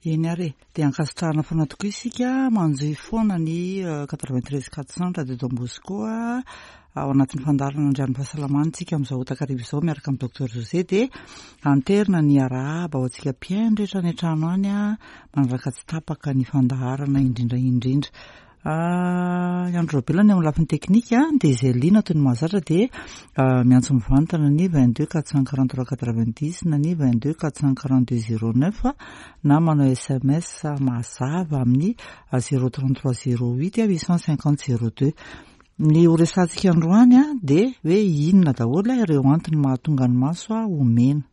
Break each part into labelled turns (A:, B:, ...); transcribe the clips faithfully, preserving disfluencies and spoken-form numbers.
A: Eny ary e, dia ankasitrahana foana tokoa isika manjohy foana ny quatre-vingt-treize quatre cent Radio Don Bosco ao anatin'ny fandaharana Andrian'ny fahasalamana tsika amin'izao takariva izao miaraka amin'ny Docteur José. Dia anterina ny arahaba ho antsika mpihaino rehetra any an-trano any a manaraka tsy tapaka ny fandaharana indrindra indrindra. I Andro Raobelina ny amin'ny lafiny teknika, dia izay liana toy ny mahazatra dia miantso mivantana ny vingt-deux quatre cent quarante-trois quatre-vingt-dix na ny vingt-deux quatre cent quarante-deux zéro neuf na manao S M S mazava amin'ny zéro trente-trois zéro huit huit cent cinquante zéro deux. Ny ho resahantsika androany a dia hoe inona daholo ireo antony mahatonga ny maso a ho mena.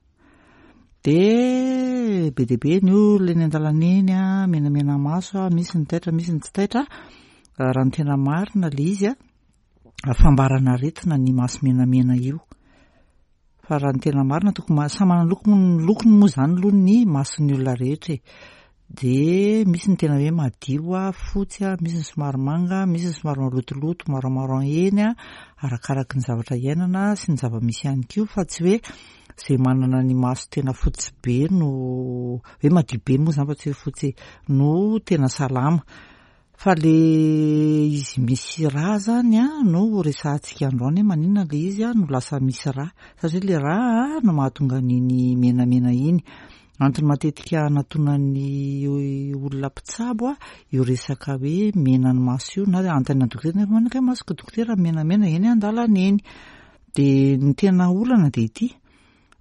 A: De be dia be ny olona eny an-dalana eny a menamena maso a, misy ny taitra, misy ny tsy taitra. Raha ny tena marina le izy a, fambarana aretina ny maso menamena io, fa raha ny tena marina tokony samy manana loko ny lokony moa zany aloha ny mason'ny olona rehetra e. De misy ny tena hoe madio a, fotsy a, misy ny somary manga, misy ny somary malotoloto, marron eny a, arakaraky ny zavatra iainana sy ny zava-misy ihany koa, fa tsy hoe zay manana ny maso tena fotsy be no hoe madio be moa zany, fa tsy hoe fotsy no tena salama. Fa le izy misy rà zany a no resahantsika androany, hoe maninona le izy a no lasa misy rà, satria le rà no mahatonga an'iny menamena iny. Antony matetika anatonan'ny olona mpitsabo a io resaka hoe mena ny maso io, na anontaniana dokotera nefa manaka masoko dokotera menamena eny an-dalana eny. De ny tena olana de ity: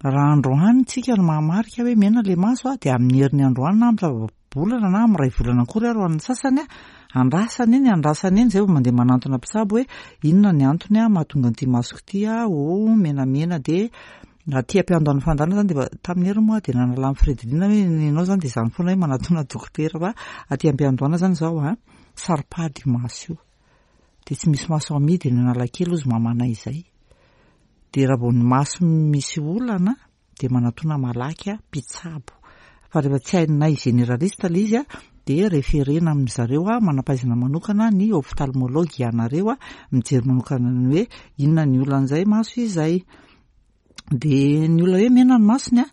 A: raha androany tsika no mahamarika hoe mena le maso a, de amin'ny herin'ny androany na amin'ny bolana na amin'ny ray volana akory ary ho an'ny sasany a, andrasana eny, andrasana eny zay vao mandeha manantona mpitsabo hoe inona ny antony a mahatonga an'ity masoko ity a ho menamena. De aty ampiandohan'ny fandaharana zany de efa tamin'ny heriny moa de nanala ny Fredelina hoe ianao zany de zany foana hoe manatona dokotera, fa aty ampiandohana zany zao a saropady io maso io, de tsy misy maso amidy eny Analakely ozy mamanay izay. De raha vao ny maso misy olana de manatona malaky a mpitsabo, fa rehefa tsy hainay généraliste le izy a, de référena amin'ny zareo a manam-pahaizana manokana, ny ophtalmologue ianareo a mijery manokana ny hoe inona ny olan'izay maso izay. De ny olona hoe mena ny masony a,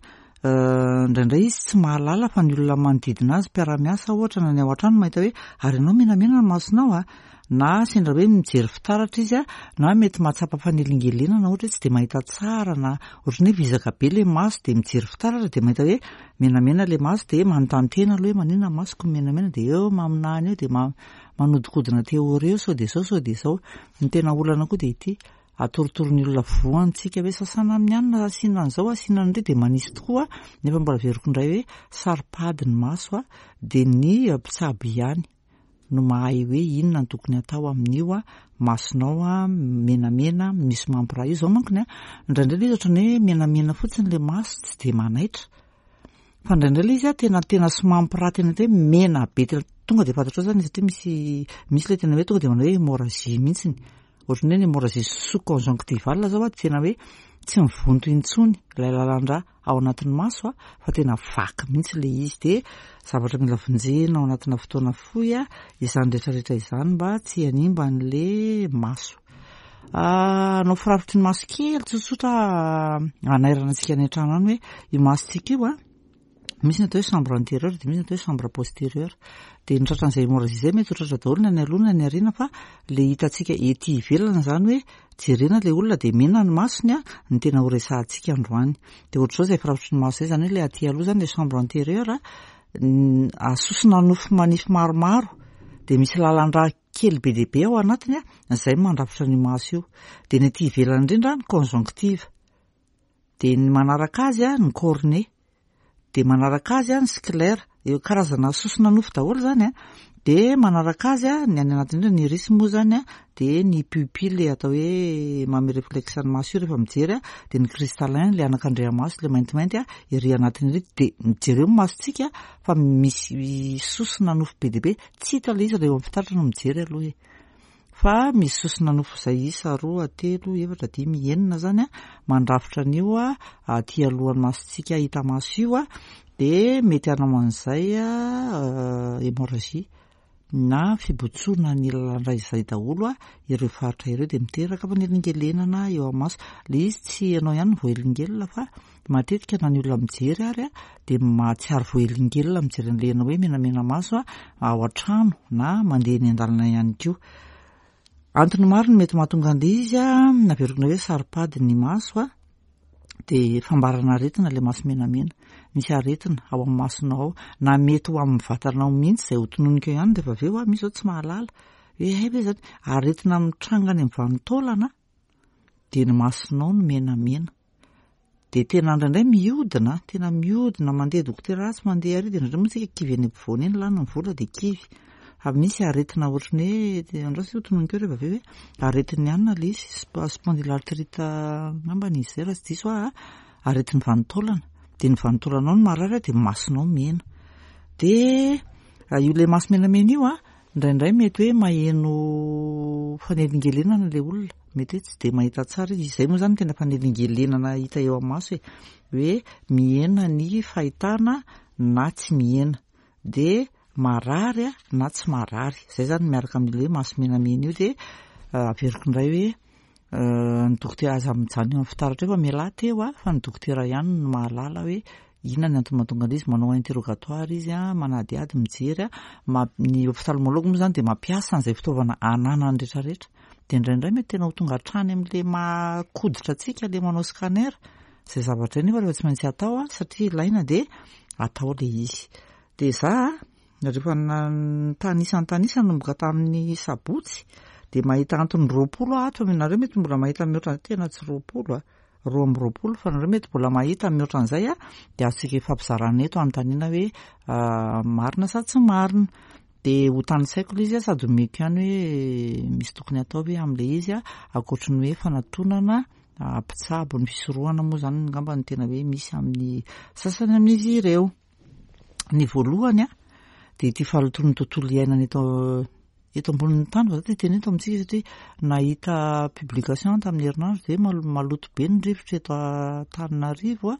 A: indraindray izy tsy mahalala, fa ny olona manodidina azy, mpiara-miasa ohatra na ny ao an-trano, mahita hoe ary ianao menamena ny masonao a, na sendra hoe mijery fitaratra izy a, na mety mahatsapa fanelingelenana ohatra hoe tsy de mahita tsara na ohatrany hoe vizaka be le maso, de mijery fitaratra de mahita hoe menamena le maso, de manontany tena aloha hoe maninona ny masoko menamena, de eo maminany eo de manodikodina théorie eo sao de zao, sao de zao. Ny tena olana koa de ity: atorotoro ny olona voantsika hoe sasana amin'ny anina, asiana an'izao, asiana an'ireo, de manisy tokoa, nefa mbola averiko indray hoe saropady ny maso a, de ny mpitsabo ihany no mahay hoe inona ny tokony atao amin'io a masonao a menamena misy mampiraha io. Zao mankony a, indraindray le izy ohatrany hoe menamena fotsiny le maso, tsy de manaitra, fa indraindray le izy a tena tena somampiraha, tena hoe mena be, tena tonga de fantatrao zany, satria misy misy le tena hoe tonga de manao hoe hémorragie mihitsiny, ohatrany hoe ny hémorragie sous conjonctivale zao a, de tena hoe tsy mivonto intsony ilay lalan-drà ao anatin'ny maso a, fa tena vaky mihitsy le izy, de zavatra mila vonjena ao anatina fotoana fohy a izany rehetrarehetra izany mba tsy hanimba an'le maso. Anao firafitry ny maso kely tsotsotra anairana antsika any an-trano any hoe io masontsika io a misy ny atao hoe chambre antérieure, de misy ny atao hoe chambre postérieure. De ny tratran'izay hémorragie zay mety ho tratra daholo na ny aloha na ny aoriana, fa le hitantsika ety ivelana zany hoe jerena le olona de mena ny masony a ny tena ho resahantsika androany. De ohatr'izao zay firafitry ny maso zay zany, hoe le aty aloha zany le chambre antérieure, asosona nofo manify maromaro, de misy lalan-drà kely be dia be ao anatiny a, zay mandrafitra ny maso io. De ny aty ivelany indrindra ny conjonctive, de ny manaraka azy a ny cornée, de manaraka azy a ny sclère, eo karazana sosona nofo daholo zany a, de manaraka azy a ny any anatiny indrindra ny iris moa zany a, de ny pupille atao hoe manome réflexe ny maso io rehefa mijery a, de ny cristallin, le anakandriamaso le maintimainty a ery anatiny ery. De mijereo ny masontsika fa misy sosona nofo be dia be, tsy hita le izy raha eo amin'ny fitaratra no mijery aloha e, fa misy sosona nofo zay isa roa, telo, efatra, dimy, enina zany a mandrafitra an'io a aty alohan'ny masontsika hita maso io a. De mety hanao an'izay a hémorragie na fibontsoana ny lalan-dra izay daholo a ireo faritra ireo, dia miteraka fanelingelenana eo amin'ny maso. Ilay izy tsy ianao ihany no voahelingelina fa matetika na ny olona mijery ary a dia mahatsiaro voahelingelina mijery an'ilay ianao hoe menamena maso a ao an-trano na mandeha eny an-dalana ihany koa. Antony maro no mety mahatonga an'ilay izy a, naveriko hoe saro-pady ny maso a, dia fambarana aretina ilay maso menamena. Misy aretina ao amin'ny masonao ao, na mety ho amin'ny vatanao mihitsy izay ho tononiko eo ihany rehefa avy eo a, misy zao tsy mahalala hoe hay ve zany aretina mitranga any amin'ny vanin-taolana dia ny masonao no menamena. Dia tena indraindray mihodina, tena mihodina mandeha dokotera atsy mandeha ary, dia indraindray moa tsika kivy eny ampovoany eny, lany ny vola dia kivy. Fa misy aretina ohatran'ny hoe andraso ho tononiko eo rehefa avy eo hoe aretin'ny anona ilay izy, spondylarthrite angambany izy izay raha tsy diso aho, aretin'ny vanin-taolana. Dia ny vanin-taolanao no marary dia masonao mena. Dia io ilay maso menamena io a, indraindray mety hoe maheno fanelingelenana ilay olona, mety hoe tsy dia mahita tsara izy. Izay moa zany tena fanelingelenana hita eo amin'ny maso e, hoe mihena ny fahitana na tsy mihena, dia marary a na tsy marary. Izay zany miaraka amin'ilay hoe maso menamena io. Dia averiko indray hoe ny dokotera aza mijanona eo amin'ny fitaratra eo fa mialà teo a, fa ny dokotera ihany no mahalala hoe inona ny antony mahatonga an'izy. Manao interrogatoire izy a, manadihady, mijery a, ny ophtalmologue moa zany dia mampiasa an'izay fitaovana ananany rehetrarehetra. Dia indraindray mety tena ho tonga hatrany amin'ilay mahakoditra antsika ilay manao scanner. Izay zavatra izay nefa rehefa tsy maintsy atao a, satria ilaina dia atao ilay izy. Dia za rehefa nitanisa nitanisa nanomboka tamin'ny sabotsy dia mahita antony roapolo aho ato. Nareo mety mbola mahita mihoatra, tena tsy roapolo a, roa amby roapolo, fa nareo mety mbola mahita mihoatra an'izay a, dia azontsika ifampizarana eto anontaniana hoe marina sa tsy marina. Dia ho tanisaiko ilay izy a, sady omeko ihany hoe misy tokony atao ve amin'ilay izy a, ankoatry ny hoe fanatonana mpitsabo. Ny fisorohana moa zany angamba no tena hoe misy amin'ny sasany amin'izy ireo. Ny voalohany a dia ity fahalotoan'ny tontolo iainana eto eto ambonin'ny tany, fa za te hiteny eto amintsika satria nahita publication tamin'ny herinandro dia maloto be ny rivotra eto Antananarivo a,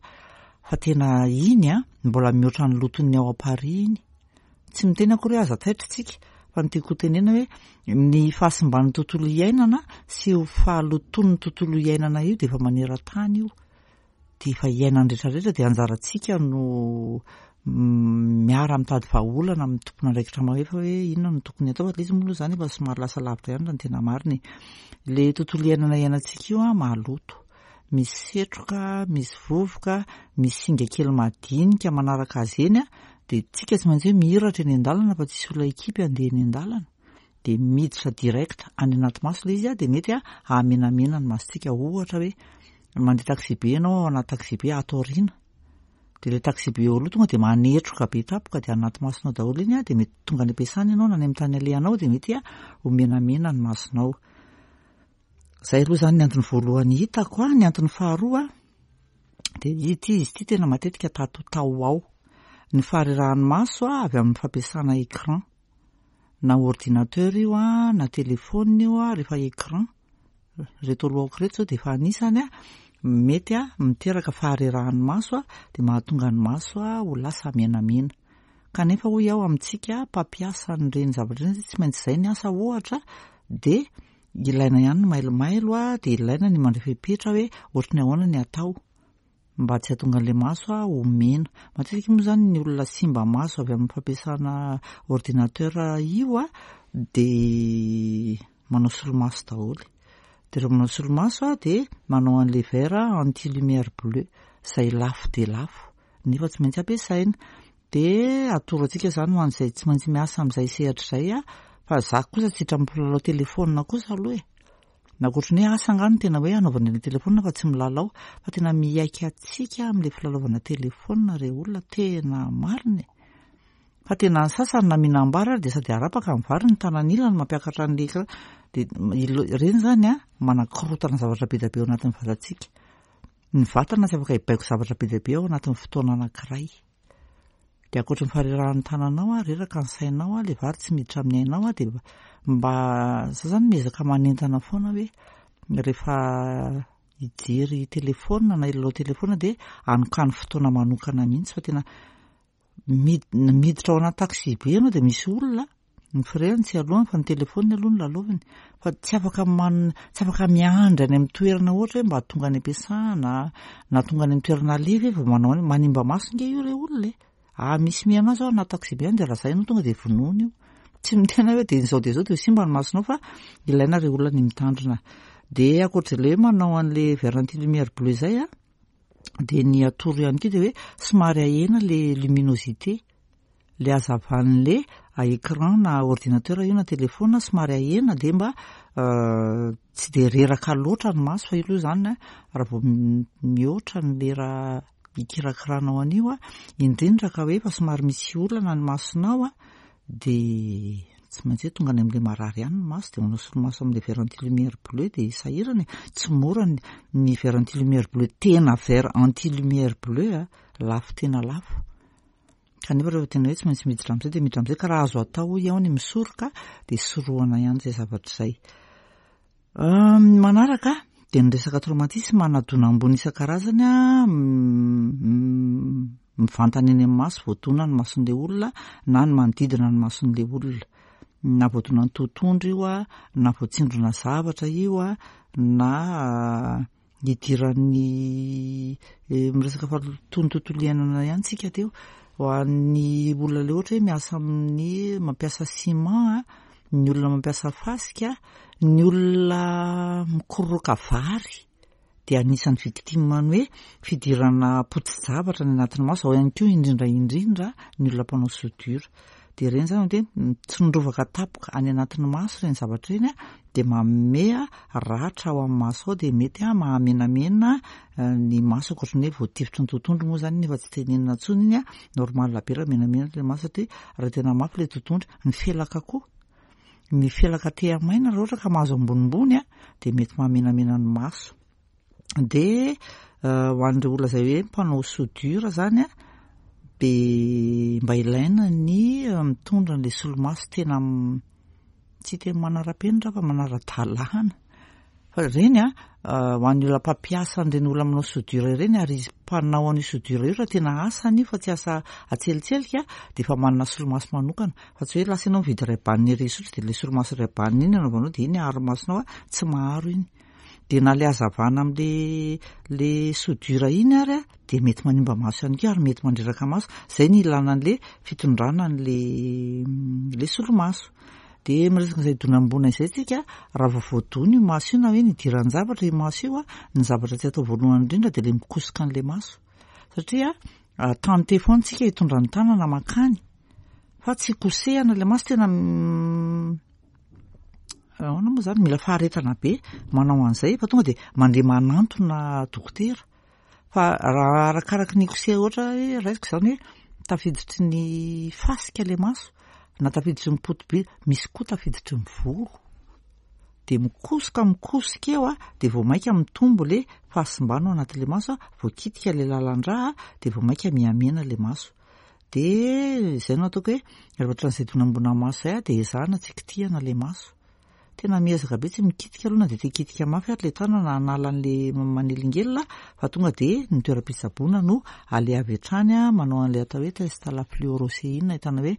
A: fa tena iny a mbola mihoatra ny loton'ny ao Paris iny. Tsy miteny akory hoe aza taitra tsika, fa ny tiako tenena hoe ny fahasimban'ny tontolo iainana sy io fahalotoan'ny tontolo iainana io dia efa maneran-tany io, dia efa iainany rehetrarehetra. Dia anjarantsika no miara mitady vahaolana amin'ny tompon'andraikitra mahefa hoe inona no tokony atao. Fa ilay izy moa aloha zany efa somary lasa lavitra ihany raha ny tena marina e. Ilay tontolo iainana iainantsika io a maloto, misy setroka, misy vovoka, misy singa kely madinika manaraka azy eny a, dia tsika tsy maintsy hoe mihiratra eny an-dalana fa tsisy olona ekipy andeha eny an-dalana, dia miditra direct any anaty maso ilay izy a, dia mety a hahamenamena ny masontsika. Ohatra hoe mandeha taxi be ianao, ao anaty taxi be ato aoriana, dia ilay taxi be eo aloha tonga dia manetroka be tampoka dia anaty masonao daholo iny a, dia mety tonga any am-piasana ianao na any amin'ny tany alehanao dia mety a ho menamena ny masonao. Izay aloha zany ny antony voalohany hitako a. Ny antony faharoa dia ity izy ity tena matetika tato tao ao, ny faharerahan'ny maso a avy amin'ny fampiasana écran, na ordinateur io a na téléphone io a. Rehefa écran reto alohako reto zao dia efa anisany a mety a miteraka faharerahan'ny maso a, dia mahatonga ny maso a ho lasa menamena. Kanefa hoy aho amintsika mpampiasa an'ireny zavatra ireny, tsy maintsy izay ny asa ohatra, dia ilaina ihany ny mailomailo a, dia ilaina ny mandray fepetra hoe ohatry ny ahoana ny atao mba tsy hahatonga an'ilay maso a ho mena. Matetika moa zany ny olona simba maso avy amin'ny fampiasana ordinateur io a dia manao solomaso daholo. Dia rehefa manao solomaso a dia manao an'ilay verre anti lumière bleue izay lafo dia lafo nefa tsy maintsy ampiasaina. Dia atoro antsika zany ho an'izay tsy maintsy miasa amin'izay sehatra izay a, fa za kosa tsy hiditra milalao telefônina kosa aloha e, na ohatry ny hoe asa angano tena hoe anaovana ilay telefônina fa tsy milalao, fa tena mihaika antsika amin'ilay filalaovana telefônina re olona, tena marina e. Fa tena ny sasany na mihinam-bary ary dia sady arapaka ny vary ny tanan'ilany mampiakatra an'ilay écran, dia ireny zany a manakorontana zavatra be dia be ao anatin'ny vatantsika. Ny vatana tsy afaka hibaiko zavatra be dia be ao anatin'ny fotoana anankiray. Dia ankoatry ny faharerahan'ny tananao a, reraka ny sainao a, ilay vary tsy miditra amin'ny ainao a, dia mba za zany miezaka manentana foana hoe rehefa hijery telefônina na hilalao telefônina dia anokany fotoana manokana mihitsy, fa tena miditra ao anaty taxi be ianao dia misy olona Ny frais-ny tsy aloany fa ny telefaoniny aloha no lalaoviny. Fa tsy afaka man tsy afaka miandry any amin'ny toerana ohatra hoe mba tonga any am-piasana na tonga any amin'ny toerana alefa vao manao any. Manimba maso nge io re olona e. Ah, misy mihaino azy ao anaty taxi-be any de raha zay ianao tonga de vonoina io. Tsy miteny hoe de izao de izao de simba ny masonao fa ilaina re olona ny mitandrina. De ankoatr'izay le hoe manao an'le verre anti lumière bleue zay a, de ny atoro ihany koa de hoe somary ahena le luminosité, le hazavan'le écran na ordinateur io na téléphone somary ahena de mba tsy de reraka loatra ny maso. Fa io aloha zany raha vao mihoatra ny lera ikirakiranao an'io a, indrindra ka hoe efa somary misy olana ny masonao a, de tsy maintsy hoe tonga any amin'le marary ihany ny maso de manao solomaso amin'le verre anti lumière bleue de sahirana e. Tsy mora ny ny verre anti lumière bleue, tena verre anti lumière bleue a, lafo, tena lafo. Kanefa rehefa tena hoe tsy maintsy miditra amin'izay de miditra amin'izay, ka raha azo atao hoy aho ny misoroka de sorohana ihany zay zavatra izay. Ny manaraka de ny resaka traumatisme na dona ambony isan-karazany a, mivantana eny amin'ny maso, voadona ny mason'le olona na ny manodidina ny mason'le olona. Na voadona ny totohondry io a, na voatsindrona zavatra io a, na idiran'ny miresaka fahalotoan'ny tontolo iainana ihany tsika teo. Ho an'ny olona le ohatra hoe miasa amin'ny mampiasa ciment a, ny olona mampiasa fasika, ny olona mikororoka vary de anisan'ny victime ny hoe fidirana poti-javatra ny anatin'ny maso. Ao ihany koa indrindra indrindra ny olona mpanao soudure. De ireny zany de tsindrovaka tapoka any anatin'ny maso ireny zavatra ireny a, de manome ratra ao amin'ny maso ao, de mety a mahamenamena ny maso, ankoatran'ny hoe voatifitry ny totohondry moa zany nefa tsy tenenina intsony iny a, normal be raha menamena le maso satria raha tena mafy le totohondry. Ny felaka koa, ny felaka tehamaina raha ohatra ka mahazo ambonimbony a, de mety mahamenamena ny maso. De ho an'ireo olona izay hoe mpanao soudure zany a, de mba ilaina ny mitondra an'le solomaso tena tsy tena manara-penitra fa manara-dalàna. Fa ireny a, ho an'ny olona mpampiasa an'ireny olona manao soudure ireny, ary izy mpanao an'io soudure io raha tena asany io fa tsy asa atselitselika, de efa manana solomaso manokana, fa tsy hoe lasa ianao mividy Ray-Ban ery Isotry de le solomaso Ray-Ban iny anaovanao de iny aharo masonao a, tsy maharo iny. De na le hazavana am'le le soudure iny ary a, de mety manimba maso ihany koa ary mety mandreraka maso. Zay ny ilana an'le fitondrana an'le le solomaso. De miresaka an'izay donam-boana izay tsika, raha vao voadona io maso io na hoe nidiran-javatra io maso io a, ny zavatra tsy atao voalohany indrindra de le mikosoka an'le maso. Satria tante foana tsika hitondra ny tanana makany fa tsy kosehana le maso, tena ahoana moa zany, mila faharetana be manao an'izay fa tonga de mandeha manantona dokotera. Fa raha arakaraky ny koseha, ohatra hoe raisiko zany hoe tafiditry ny fasika le maso na tafiditry ny poti-by, misy koa tafiditry ny volo, de mikosoka mikosika eo a, de vao maika mitombo le fahasimbana ao anatin'le maso a, voakitika le lalan-drà de vao maika mihamena le maso. De zay no ataoko hoe rehefa ohatran'izay donam-boana maso zay a, de ezahana tsy kitihana le maso. Tena miezaka be tsy mikitika aloha na de te hikitika mafy ary le tanana hanala an'le manelingelina, fa tonga de ny toeram-pitsaboana no aleha avy hatrany a, manao an'le atao hoe test à la fluoroscéine, ahitana hoe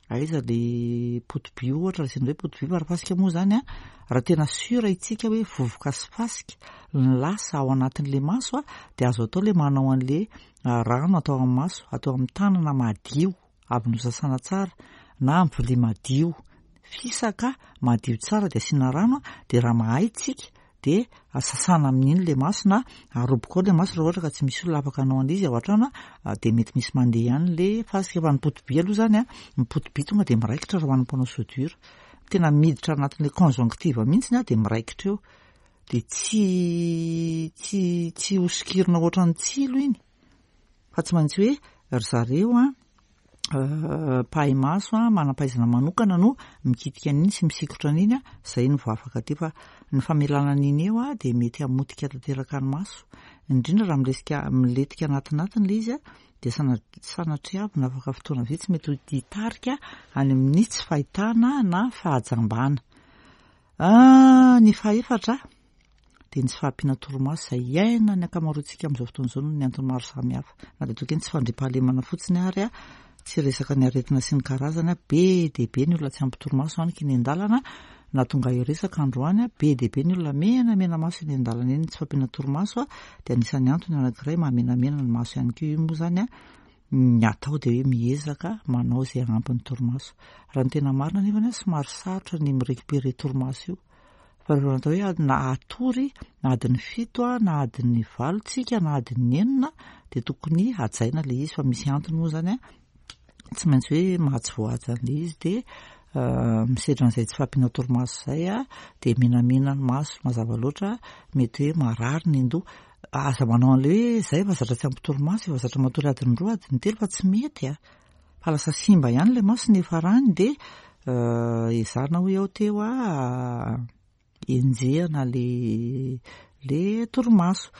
A: aiza le poti-by ohatra, raha sendra hoe poti-by fa raha fasika moa zany a, raha tena sûr itsika hoe vovoka sy fasika ny lasa ao anatin'le maso a, de azo atao le manao an'le rano atao amin'ny maso, atao amin'ny tanana madio avy nosasana tsara na amin'ny vilia madio fisaka madio tsara, de asiana rano a, de raha mahay tsika de sasana amin'iny le maso na aroboka ao le maso raha ohatra ka tsy misy olona afaka hanao an'izy ao an-trano a, de mety misy mandeha ihany le fasika. Fa ny poti-by aloha zany a, ny poti-by tonga de miraikitra raha ho an'ny mpanao soudure, tena miditra anatin'le conjonctive mihitsy a, de miraikitra eo, de tsy tsy tsy hosokirina ohatran'ny tsilo iny fa tsy maintsy hoe ry zareo a mpahay maso a, manam-pahaizana manokana no mikitika an'iny sy misikotra an'iny a, zay no vao afaka aty. Fa ny famelana an'iny eo a, de mety hamotika tanteraka ny maso, indrindra raha miresika milentika anatinatiny le izy a, de sana- sanatriavina afaka fotoana vitsy mety hitarika any amin'ny tsy fahitana na fahajambana. Ny fahaefatra de ny tsy fahampiana torimaso izay iainan'ny ankamaroantsika amin'izao fotoana izao noho ny antony maro samihafa, na de toa ny tsy fandriampahalemana fotsiny ary a, Tsy resaka ny aretina sy ny karazany a, be dia be ny olona tsy ampy torimaso any eny an-dalana. Na tonga hiresaka androany a, be dia be ny olona menamena maso eny an-dalana eny. Ny tsy fahampiana torimaso a dia anisan'ny antony anankiray mahamenamena ny maso ihany koa. Io moa zany a, ny atao dia hoe miezaka manao izay hanampy ny torimaso. Raha ny tena marina nefa ny somary sarotra ny mi-récupérer torimaso io, fa rehefa natao hoe na atory na adiny fito a, na adiny valo tsika, na adiny enina, dia tokony hajaina le izy. Fa misy antony moa zany a, tsy maintsy hoe mahatsy voahaja an'le izy. Dia misedra an'izay tsy fahampiana torimaso izay a, dia menamena ny maso mazava loatra, mety hoe marary ny andoha. Aza manao an'le hoe zay efa zatra tsy ampy torimaso, efa zatra matory adiny roa, adiny telo, fa tsy mety a, fa lasa simba ihany le maso ny farany. Dia ezahana hoy aho teo a, enjehana le le torimaso.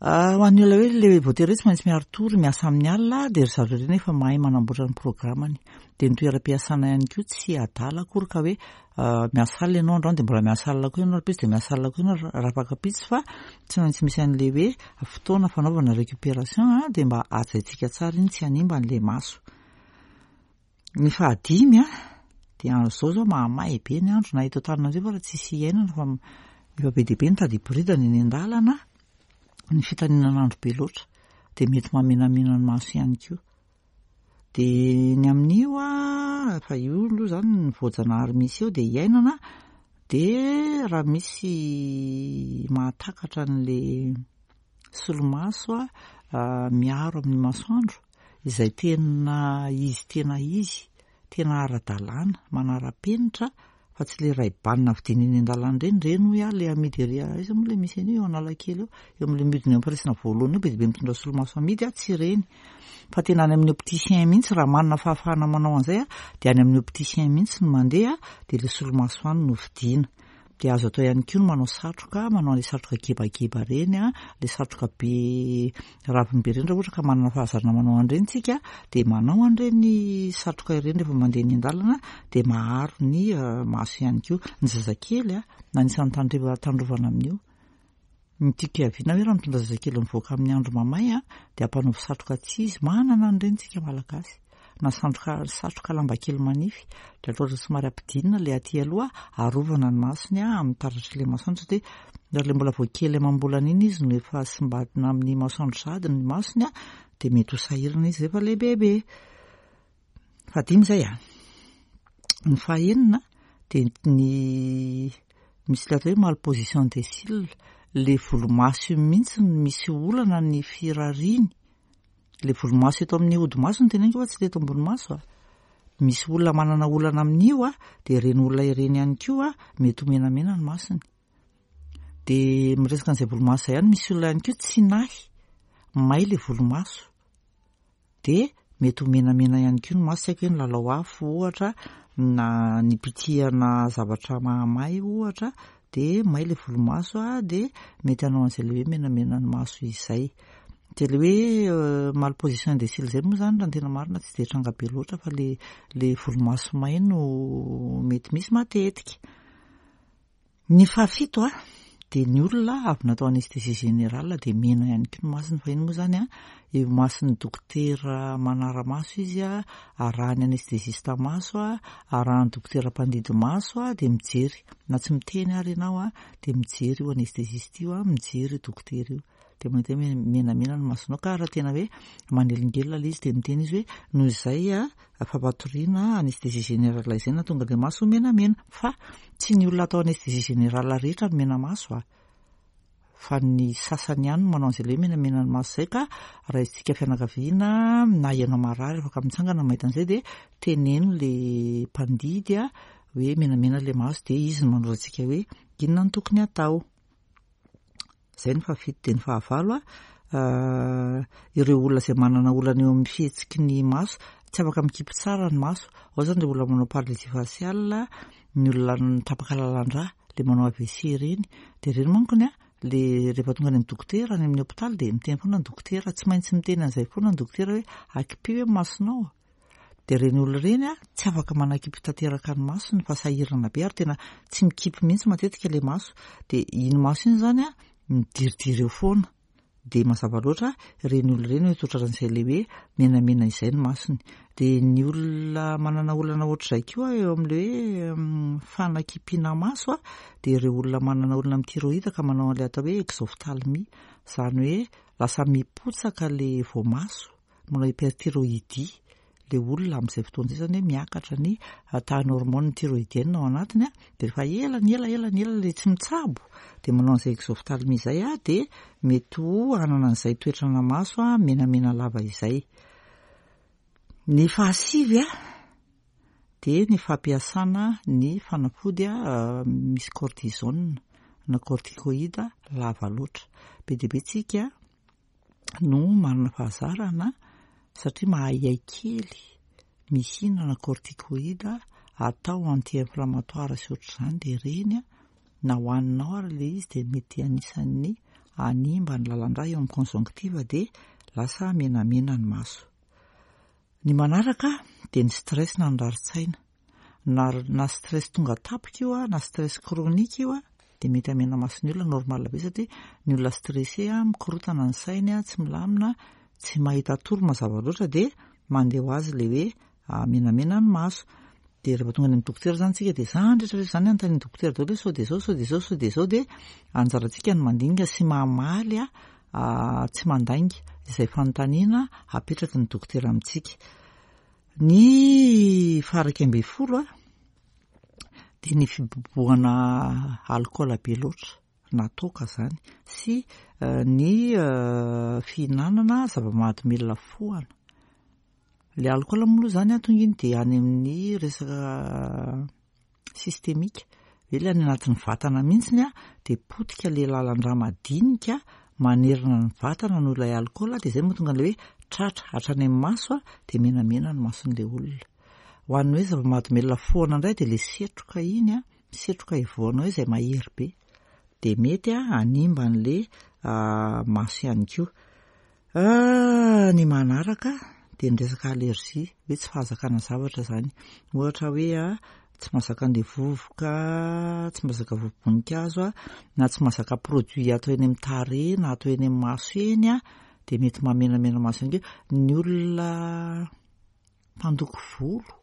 A: Ho an'ny olona hoe le voatery hoe tsy maintsy miari-tory, miasa amin'ny alina, dia ry zareo ireny efa mahay manamboatra ny programmany. Dia ny toeram-piasana ihany koa tsy adala akory ka hoe miasa alina ianao androany dia mbola miasa alina koa ianao rahampitso, dia miasa alina koa ianao rahafakampitso, fa tsy maintsy misy an'le hoe fotoana fanaovana récupération a, dia mba hajaintsika tsara iny, tsy hanimba an'le maso. Ny fahadimy a, dia zao zao mahamay be ny andro na eto Antananarivo raha tsisy iainana, fa efa be dia be ny tady hiboridana eny an-dalana. Ny fitaninan'andro be loatra dia mety mahamenamena ny maso ihany koa. Dia ny amin'io a, fa io aloha zany ny voajanahary misy eo dia iainana. Dia raha misy mahatakatra an'le solomaso a miaro amin'ny masoandro izay tena izy, tena izy tena ara-dalàna, manara-penitra, fa tsy le Ray-Ban vidiana eny an-dalana ireny ireny hoy aho, le amidy ery aiza moa le misy an'io, eo Analakely eo, eo amin'le midina eo am-piraisana voalohany eo, be dia be mitondra solomaso amidy a, tsy ireny fa tena any amin'ny opticien mihitsy. Raha manana fahafahana manao an'izay a, dia any amin'ny opticien mihitsy no mandeha, dia le solomaso any no vidiana. Dia azo atao ihany koa ny manao satroka, manao an'le satroka gebageba reny a, le satroka be raviny be ireny. Raha ohatra ka manana fahazarana manao an'ireny tsika, dia manao an'ireny satroka ireny rehefa mandeha eny an-dalana, dia maharo ny maso ihany koa. Ny zazakely a, anisan'ny tandreva tandrovana amin'io. Ny tiako hiaviana hoe raha mitondra zazakely mivoaka amin'ny andro mamay a, dia ampanaovy satroka tsy izy, manana an'ireny tsika malagasy, na satroka satroka lamba kely manify, dia atao somary ampidinina le aty aloha, arovana ny masony a amin'ny taratry le masoandro, satria raha le mbola vao kely amam-bolana iny izy no efa simbadina amin'ny masoandro sahady ny masony a, dia mety ho sahirana izy rehefa lehibebe. Fahadimy izay a. Ny fahenina dia ny misy le atao hoe malposition des cils, le volomaso io mihitsy no misy olana ny firariany. Le volomaso eto amin'ny hodi-maso no teneniko fa tsy le eto ambony maso a. Misy olona manana olana amin'io a, dia ireny olona ireny ihany koa mety ho menamena ny masony. Dia miresaka an'izay volomaso izay ihany, misy olona ihany koa tsy nahy, may le volomaso, dia mety ho menamena ihany koa ny maso. Tsy haiko hoe nilalao afo ohatra, na nipitihana zavatra mahamay ohatra, dia may le volomaso a, dia mety hanao an'izay le hoe menamena ny maso izay. Dia le hoe malposition des cils izay moa zany, raha ny tena marina, tsy dia tranga be loatra, fa le le volomaso may no mety misy matetika. Ny fahafito a, dia ny olona avy natao anesthésie générale dia mena ihany koa ny masony. Fa iny moa zany a, eo mason'ny dokotera manara-maso izy a, arahan'ny anesthésiste maso a, arahan'ny dokotera mpandidy maso a, dia mijery na tsy miteny ary ianao a, dia mijery io anesthésiste io a, mijery io dokotera io, dia mahita hoe menamena ny masonao. Ka raha tena hoe manelingelina ilay izy, dia miteny izy hoe noho izay a fampatoriana anesthésie générale izay na tonga le maso menamena. Fa tsy ny olona atao anesthésie générale rehetra no mena maso a, fa ny sasany ihany no manao an'izay le hoe menamena ny maso izay. Ka raha isika fianakaviana na ianao marary afaka mitsangana mahita an'izay, dia teneno le mpandidy a hoe menamena le maso, dia izy no manoro antsika hoe inona no tokony atao. Izay ny fahafito. Dia ny fahavalo a, ireo olona izay manana olana eo amin'ny fihetsiky ny maso, tsy afaka mikipy tsara ny maso ao zany, le olona manao paralysie faciale, ny olona tapaka lalan-drà, le manao A V C ireny. Dia ireny mankony a, le rehefa tonga any amin'ny dokotera any amin'ny hôpitaly, dia miteny foana ny dokotera, tsy maintsy miteny an'izay foana ny dokotera hoe akipio hoe masonao. Dia ireny olona ireny a, tsy afaka manakipy tanteraka ny masony fa sahirana be, ary tena tsy mikipy mihitsy matetika le maso. Dia iny maso iny zany a midiridiry eo foana. Dia mazava loatra ireny olona ireny hoe ohatran'izay ilay hoe menamena izay ny masony. Dia ny olona manana olana ohatr'izay koa eo amin'ilay hoe fanakipiana maso, dia ireo olona manana olana amin'ny thyroïde ka manao an'ilay atao hoe exophtalmie, izany hoe lasa mipotsaka ilay voamaso, manao hyperthyroïdie ilay olona amin'izay fotoana izay, izany hoe miakatra ny tahan'ny hormone thyroïdienne ao anatiny. Dia rehefa ela ny ela ela ny ela ilay tsy mitsabo dia manao an'izay exophtalmie izay, dia mety ho hanana an'izay toetrana maso menamena lava izay. Ny fahasivy dia ny fampiasana ny fanafody misy cortisone na corticoïde lava loatra. Be dia be tsika no manana fahazarana satria mahaihai kely mihinana corticoïde atao anti-inflammatoire sy ohatr'izany, dia ireny na hohaninao ary ilay izy dia mety anisan'ny hanimba ny lalan-drà eo amin'ny conjonctive, dia lasa menamena ny maso. Ny manaraka dia ny stress na ny rarin-tsaina. Na, na stress tonga tampoka io na stress chronique io, dia mety hamena mason'ny olona, normal be, satria ny olona stressé mikorotana ny sainy, tsy milamina, tsy mahita tory mazava loatra, dia mandeha ho azy ilay hoe menamena ny maso. Dia rehefa tonga any amin'ny dokotera zany tsika dia zany rehetra rehetra zany anontanian'ny dokotera daholo hoe sao dia zao, sao dia zao, sao dia zao, dia anjarantsika ny mandinika sy mamaly tsy mandainga izay fanontaniana apetraky ny dokotera amintsika. Ny faha-iraika ambin'ny folo dia ny fibobohana alikaola be loatra na toaka zany sy ny fihinanana zava-mahadomelina fohana. Ilay alikaola moa aloha zany tonga iny dia any amin'ny resaka systémique, hoe ilay any anatin'ny vatana mihitsiny dia potika ilay lalan-drà madinika manerana ny vatana noho ilay alikaola, dia izay mahatonga an'ilay hoe tratra hatrany amin'ny maso dia menamena ny mason'ilay olona. Ho an'ny hoe zava-mahadomelina fohana indray dia ilay setroka iny, setroka ivoanao izay mahery be, dia mety hanimba an'ilay maso ihany koa. Ny manaraka dia ny resaka allergie, hoe tsy fahazakana zavatra zany. Ohatra hoe tsy mahazaka an'ilay vovoka, tsy mahazaka vovo-boninkazo, na tsy mahazaka produit atao eny amin'ny tarehy na atao eny amin'ny maso eny, dia mety mahamenamena maso ihany koa. Ny olona mpandoko volo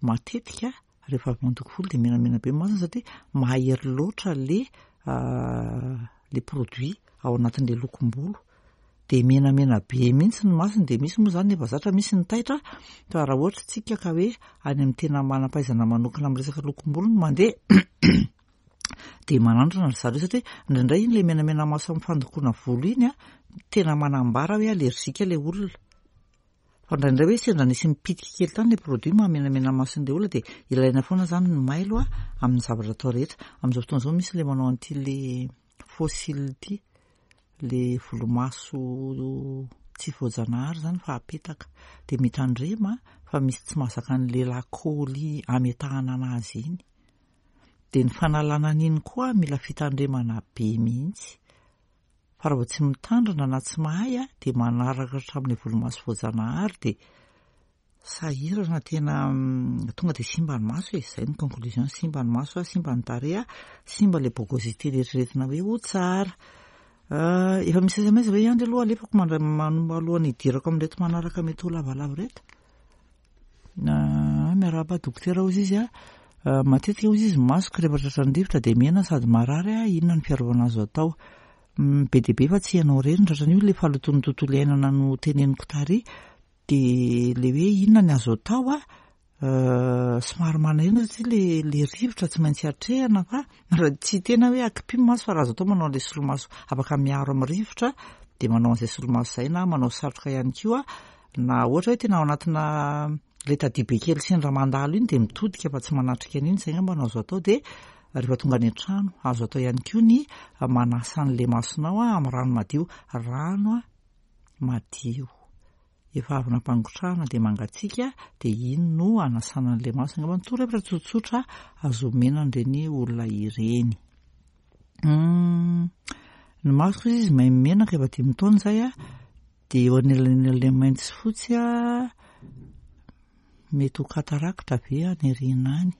A: matetika rehefa avy mandoko volo dia menamena be ny masony satria mahery loatra le le produit ao anatin'ilay lokom-bolo, dia menamena be mihitsy ny masony. Dia misy moa zany efa zatra, misy ny taitra, fa raha ohatra tsika ka hoe any amin'ny tena manam-pahaizana manokana amin'ny resaka lokom-bolo no mandeha dia manandrana ry zareo, satria indraindray iny ilay menamena maso amin'ny fandokoana volo iny tena manambara hoe allergique ilay olona. Fa indraindray hoe sendra nisy mipitika kely tany ilay produit mahamenamena mason'ilay olona, dia ilaina foana zany ny mailo amin'ny zavatra atao rehetra. Amin'izao fotoana izao misy ilay manao an'ity le faux cils ity, le volomaso tsy voajanahary zany fa apetaka, dia mitandrema fa misy tsy mahazaka an'ilay lakôly ametahana anazy iny. Dia ny fanalana an'iny koa mila fitandremana be mihitsy, fa raha vao tsy mitandrina na tsy mahay dia manaraka hatramin'ilay volomaso voajanahary dia sahirana tena tonga dia simba ny maso e. Izay ny conclusion, simba ny maso, simba ny tarehy, simba ilay bogosité eritreretina hoe ho tsara. Efa misy S M S ve ihany aloha alefako mandray alohan'ny hidirako amin'ireto manaraka mety ho lavalava ireto? Miarahaba dokotera hozy izy a. Matetika hozy izy masoko rehefa tratran'ny rivotra dia mena sady marary, inona ny fiarovana azo atao? Be dia be fa tsy ianao irery no tratran'io, ilay fahalotoan'ny tontolo iainana no teneniko tary, dia ilay hoe inona ny azo atao a, somary manahirana satria le le rivotra tsy maintsy atrehana, fa raha tsy tena hoe akipio maso, fa raha azo atao manao an'ilay solomaso afaka miaro amin'ny rivotra dia manao an'izay solomaso izay, na manao satroka ihany koa, na ohatra hoe tena ao anatina ilay tadio be kely sendra mandalo iny dia mitodika fa tsy manatrika an'iny, izay angamba no azo atao. Dia rehefa tonga any an-trano azo atao ihany koa ny manasa an'ilay masonao amin'ny rano madio, rano madio efa avy nampangotrahana dia mangatsiaka, dia iny no anasana an'ilay maso. Angamba ny torohevitra tsotsotra azo omena an'ireny olona ireny. Ny masoko izy maimena efa dimy taona izay a, dia eo anelanelan'ilay mainty sy fotsy a, mety ho cataracte ve any aoriana any?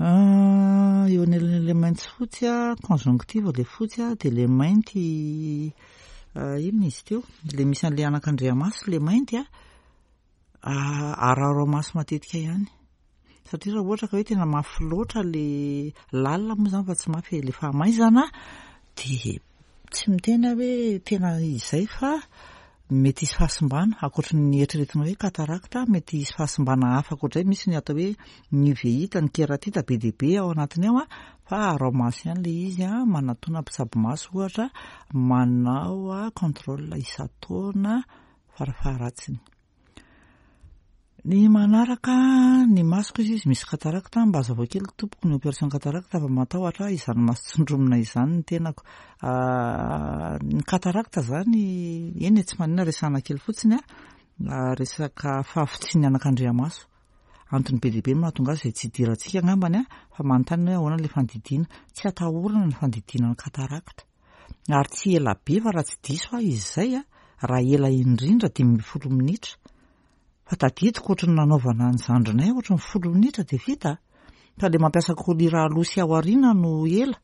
A: Eo anelanelan'ilay mainty sy fotsy a, conjonctive ilay fotsy a, dia ilay mainty inona izy teo? Ilay misy an'ilay anakandriamaso ilay mainty a, araho maso matetika ihany. Satria raha ohatra ka hoe tena mafy loatra ilay lalina moa izany fa tsy mafy ilay fahamaizana dia tsy miteny aho hoe tena izay fa mety hisy fahasimbana ankoatry ny eritreretina hoe cataracte, mety hisy fahasimbana hafa ankoatr'izay. Misy ny atao hoe ny uvéite, ny kératite be dia be ao anatiny ao a, fa araho maso ihany ilay izy a, manatona mpitsabo maso ohatra, manao contrôle isan-taona farafaharatsiny. Ny manaraka ny masoko izy izy misy cataracte, mba hazavao kely tompoko ny opération cataracte fa matahotra izany maso tsindromina izany ny tenako. Ny cataracte zany eny e, tsy maninona resahana kely fotsiny a, resaka fahafotsian'ny anakandriamaso. Antony be dia be no mahatonga azy izay tsy idirantsika angambany a, fa manontany hoe ahoana ilay fandidiana. Tsy atahorana ny fandidiana ny cataracte. Ary tsy ela be fa raha tsy diso aho izy izay a, raha ela indrindra dimy ambin'ny folo minitra. Fa tadidiko ohatry ny nanaovana ny zandrinay ohatry ny folo minitra dia vita. Fa ilay mampiasa collyre aloha sy ao aoriana no ela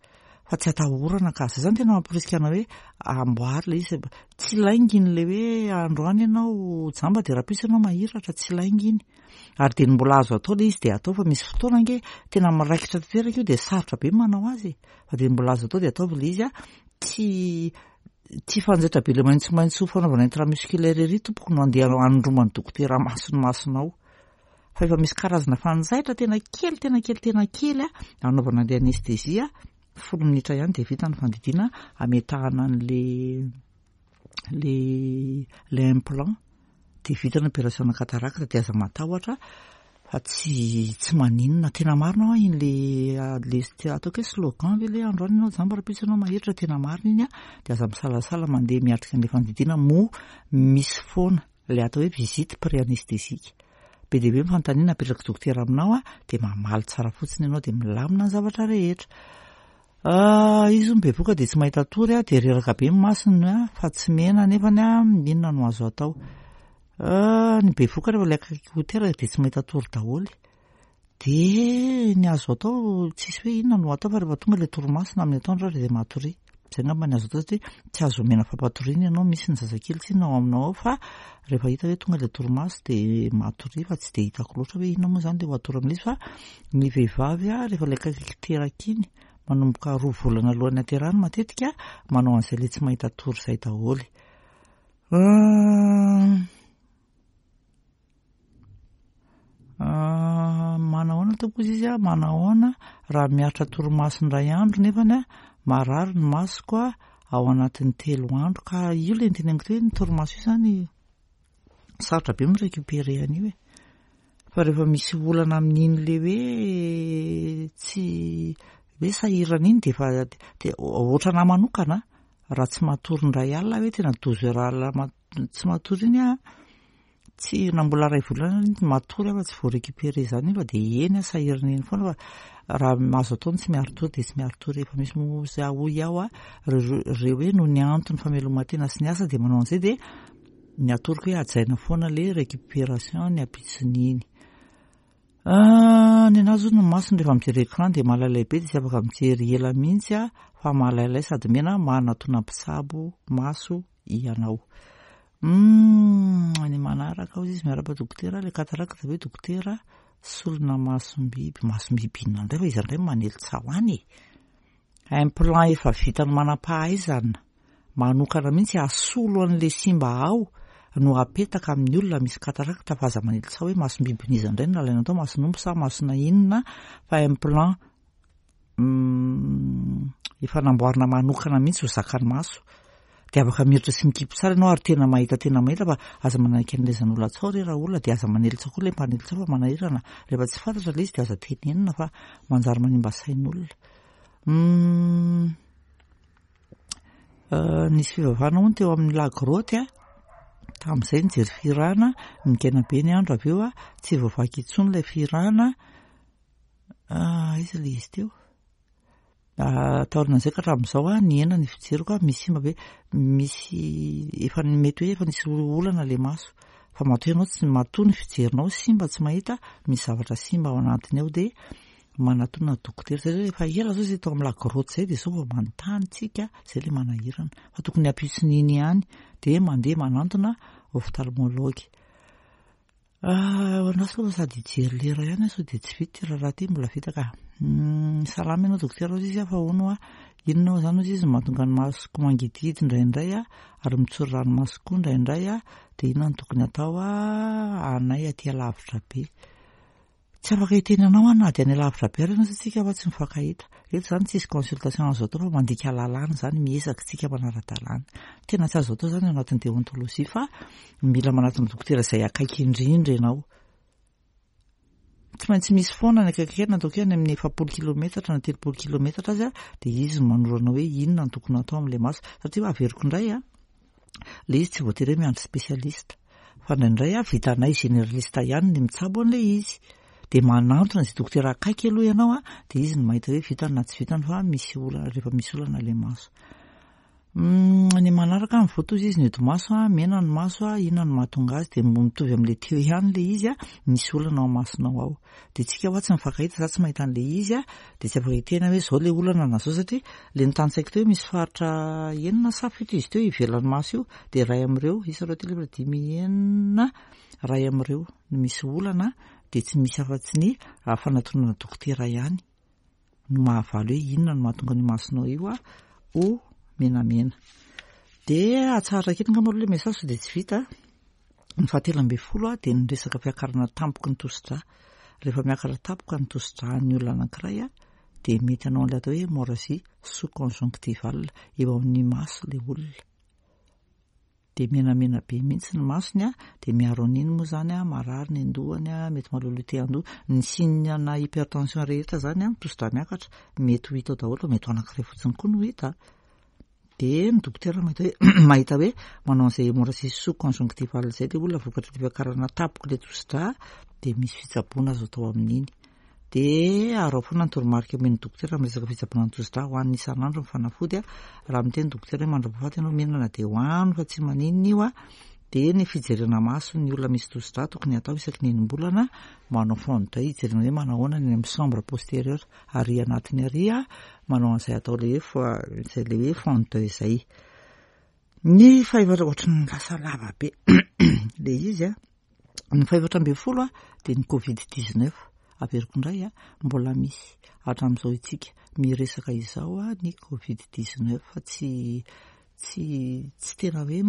A: fa tsy atahorana ka. Zay zany tena mamporisika anao hoe amboary ilay izy. Tsy lainga iny ilay hoe androany ianao jamba dia rahampitso ianao mahiratra, tsy lainga iny. Ary dia ny mbola azo atao ilay izy dia atao fa misy fotoana ange tena miraikitra tanteraka io dia sarotra be ny manao azy. Fa dia mbola azo atao dia ataovy ilay izy a, tsy tsy fanjaitra be ilay maitsomaitso fanaovana intramusculaire ery tompoko no andeha hanondroman'ny dokotera maso ny masonao. Fa efa misy karazana fanjaitra tena kely tena kely tena kely a, anaovana an'ilay anesthésie, folo minitra ihany dia vita ny fandidiana ametahana an'le le le implant dia vita ny opération cataracte dia aza matahotra fa tsy tsy maninona. Tena marina hoa iny le le ataoko hoe slogan ve le androany ianao jamba rahampitso ianao mahiratra, tena marina iny a, dia aza misalasala mandeha miatrika an'ilay fandidiana moa misy foana ilay atao hoe visite pré-anesthésique. Be dia be ny fanontaniana apetraky dokotera aminao a, dia mamaly tsara fotsiny ianao dia milamina ny zavatra rehetra. Izy hono bevoka dia tsy mahita tory a, dia reraka be ny masony a, fa tsy mena nefany a, inona no azo atao? Ny bevoka rehefa ilay akaiky ho teraka dia tsy mahita tory daholo. Dia ny azo atao tsisy hoe inona no atao fa rehefa tonga ilay torimaso na amin'ny atoandro ary dia matoria. Izay angamba ny azo atao satria tsy azo omena fampatoriana ianao, misy ny zazakely tsinona ao aminao ao fa rehefa hita hoe tonga ilay torimaso dia matoria fa tsy dia hitako loatra hoe inona moa izany ilay ho atoro amin'izy fa ny vehivavy a rehefa ilay akaiky teraka iny manomboka roa volana alohan'ny haterahany matetika manao an'izay ilay tsy mahita tory izay daholo. Manahoana tompoko izy izy a, manahoana raha miaritra torimaso indray andro nefany a marary ny masoko a ao anatin'ny telo andro. Ka io ilay niteneniko teo hoe ny torimaso io zany sarotra be mi-récupérer an'io e. Fa rehefa misy olana amin'iny le hoe tsy hoe sahirana iny dia efa dia ohatranahy manokana raha tsy matory indray alina hoe tena douze heures alina ma- tsy matory iny aho, tsy na mbola iray volana iny matory aho fa tsy voa-récupérer izany iny fa dia eny aho sahirana eny foana fa raha azo atao ny tsy miari-tory dia tsy miari-tory. Efa misy moa za hoy aho a, reo reo hoe noho ny antony fameloman-tena sy ny asa dia manao an'izay dia ny atoroko hoe hajaina foana le récupération ny ampitson'iny. Ny anazy hono ny masony rehefa mijery écran dia malailay be dia tsy afaka mijery ela mihitsy a, fa malailay sady mena manatona mpitsabo maso ianao. Ny manaraka hozy izy miarahaba dokotera, ilay cataracte ve dokotera solona masom-biby, masom-biby inona indray fa iza indray manely tsaho any e. Implant efa vitan'ny manam-pahaizana manokana mihitsy hasolo an'ilay simba ao no apetaka amin'ny olona misy cataracte fa aza manely tsaho hoe masom-bibin'iza indray no nalaina tao, mason'omby sa masona inona fa implant efa namboarina manokana mihitsy ho zakan'ny maso. Dia afaka miditra sy mikipy tsara ianao ary tena mahita tena mahita fa aza manaiky an'ilay tsaho re raha olona dia aza manely tsaho koa ilay mpanely tsaho fa manahirana. Rehefa tsy fantatra ilay izy dia aza tenenina fa manjary manimba sain'olona. Nisy fivavahana hono teo amin'ny lagroty a, tamin'izay nijery fihirana, nigaina be ny andro avy eo a, tsy voavaky intsony ilay fihirana. Aiza ilay izy teo? Taorian'izay ka hatramin'izao a, nihena ny fijeriko a, misy simba be, misy efa mety hoe efa nisy olana ilay maso. Fa matoa ianao tsy matoa ny fijerinao simba tsy mahita, misy zavatra simba ao anatiny ao dia Manatona dokotera satria rehefa ela zao zay tao amin'ny la grotte zay, de zao vao manontany tsika, zay le manahirana, fa tokony ampitson'iny ihany de mandeha manantona ophtalmologue. Andraso aloha sady hijery lera ihany sao de tsy vita ty raharaha ty, mbola vita ka. Salama ianao dokotera ozy izy, fa hono a inona moa zany ozy izy mahatonga ny masoko mangidihidy indraindray a, ary mitsory ranomaso koa indraindray a, de inona no tokony atao a anay aty alavitra be? Tsy afaka hiteny anao aho na de any alavitra be ary ianao satria tsika fa tsy mifankahita eto zany, tsisy consultation azo atao fa mandika lalàna zany, miezaka tsika manara-dalàna. Tena tsy azo atao zany ao anatin'ny déontologie, fa mila manatona dokotera izay akaiky indrindra ianao. Tsy maintsy misy foana ny akaiky kely, ataoko hoe any amin'ny efapolo kilometatra na telopolo kilometatra azy a, de izy manoro anao hoe inona no tokony atao amin'ilay maso, satria averiko indray a, le izy tsy voatery hoe miandry spécialiste, fa indraindray a vitanay généraliste ihany ny mitsabo an'ilay izy, de manantona zay dokotera akaiky aloha ianao a, de izy no mahita hoe vitany na tsy vitany, fa misy olana rehefa misy olana le maso. Ny manaraka mivoatra ozy izy ny hodi-maso a, mena ny maso a, inona no mahatonga azy? De mitovy amin'le teo ihany le izy a, misy olana ao masonao ao, de tsika hoa tsy mifankahita, za tsy mahita an'le izy a, de tsy afaka hiteny hoe zao le olana na zao, satria le nitantsaiko teo hoe misy faritra enina sa fito izy teo ivelan'ny maso io, de ray amin'ireo isa, roa, telo, efatra, dimy, enina, ray amin'ireo no misy olana, de tsy misy afa-tsy ny fanatonana dokotera ihany no mahavaly hoe inona no mahatonga ny masonao io a ho menamena. De atsahatra kely angamba aloha le message sao de tsy vita. Ny fahatelo ambin'ny folo a, de ny resaka fiakarana tampoky ny tosidra. Rehefa miakatra tampoka ny tosidra ny olona anankiray a, de mety hanao an'ilay atao hoe hémorragie sous-conjonctivale eo amin'ny maso le olona, de menamena be mihitsy ny masony a, de miaro an'iny moa zany a, marary ny andohany a, mety maloloha te andoha. Ny signe na hypertension rehetra zany a, tosidra miakatra, mety ho hita ao daholo, fa mety ho anankiray fotsiny koa no hita, de ny dokotera mahita hoe mahita hoe manao an'izay hémorragie sous-conjonctivale zay le olona vokatry ny fiakarana tampoka le tosidra, de misy fitsaboana azo atao amin'iny. De arao foana ny toromarika omen'ny dokotera amin'ny resaka fitsaboana ny tosidra, hohanina isan'andro ny fanafody a. Raha miteny dokotera hoe mandra-pahafaty ianao mihinana, de hoano fa tsy maninona io a. De ny fijerena maso ny olona misy tosidra tokony atao isaky ny enim-bolana, manao fond d'œil hijerena hoe manahoana ny amin'ny chambre postérieure ary anatiny ary a, manao an'izay atao le hoe zay le hoe fond d'œil zay. Ny fahefatra, ohatry ny lasa lava be le izy a, ny fahefatra ambin'ny folo a, de ny covid dix-neuf. Averiko indray a, mbola misy hatramin'izao itsika miresaka izao a ny covid dix-neuf, fa tsy tsy tsy tena hoe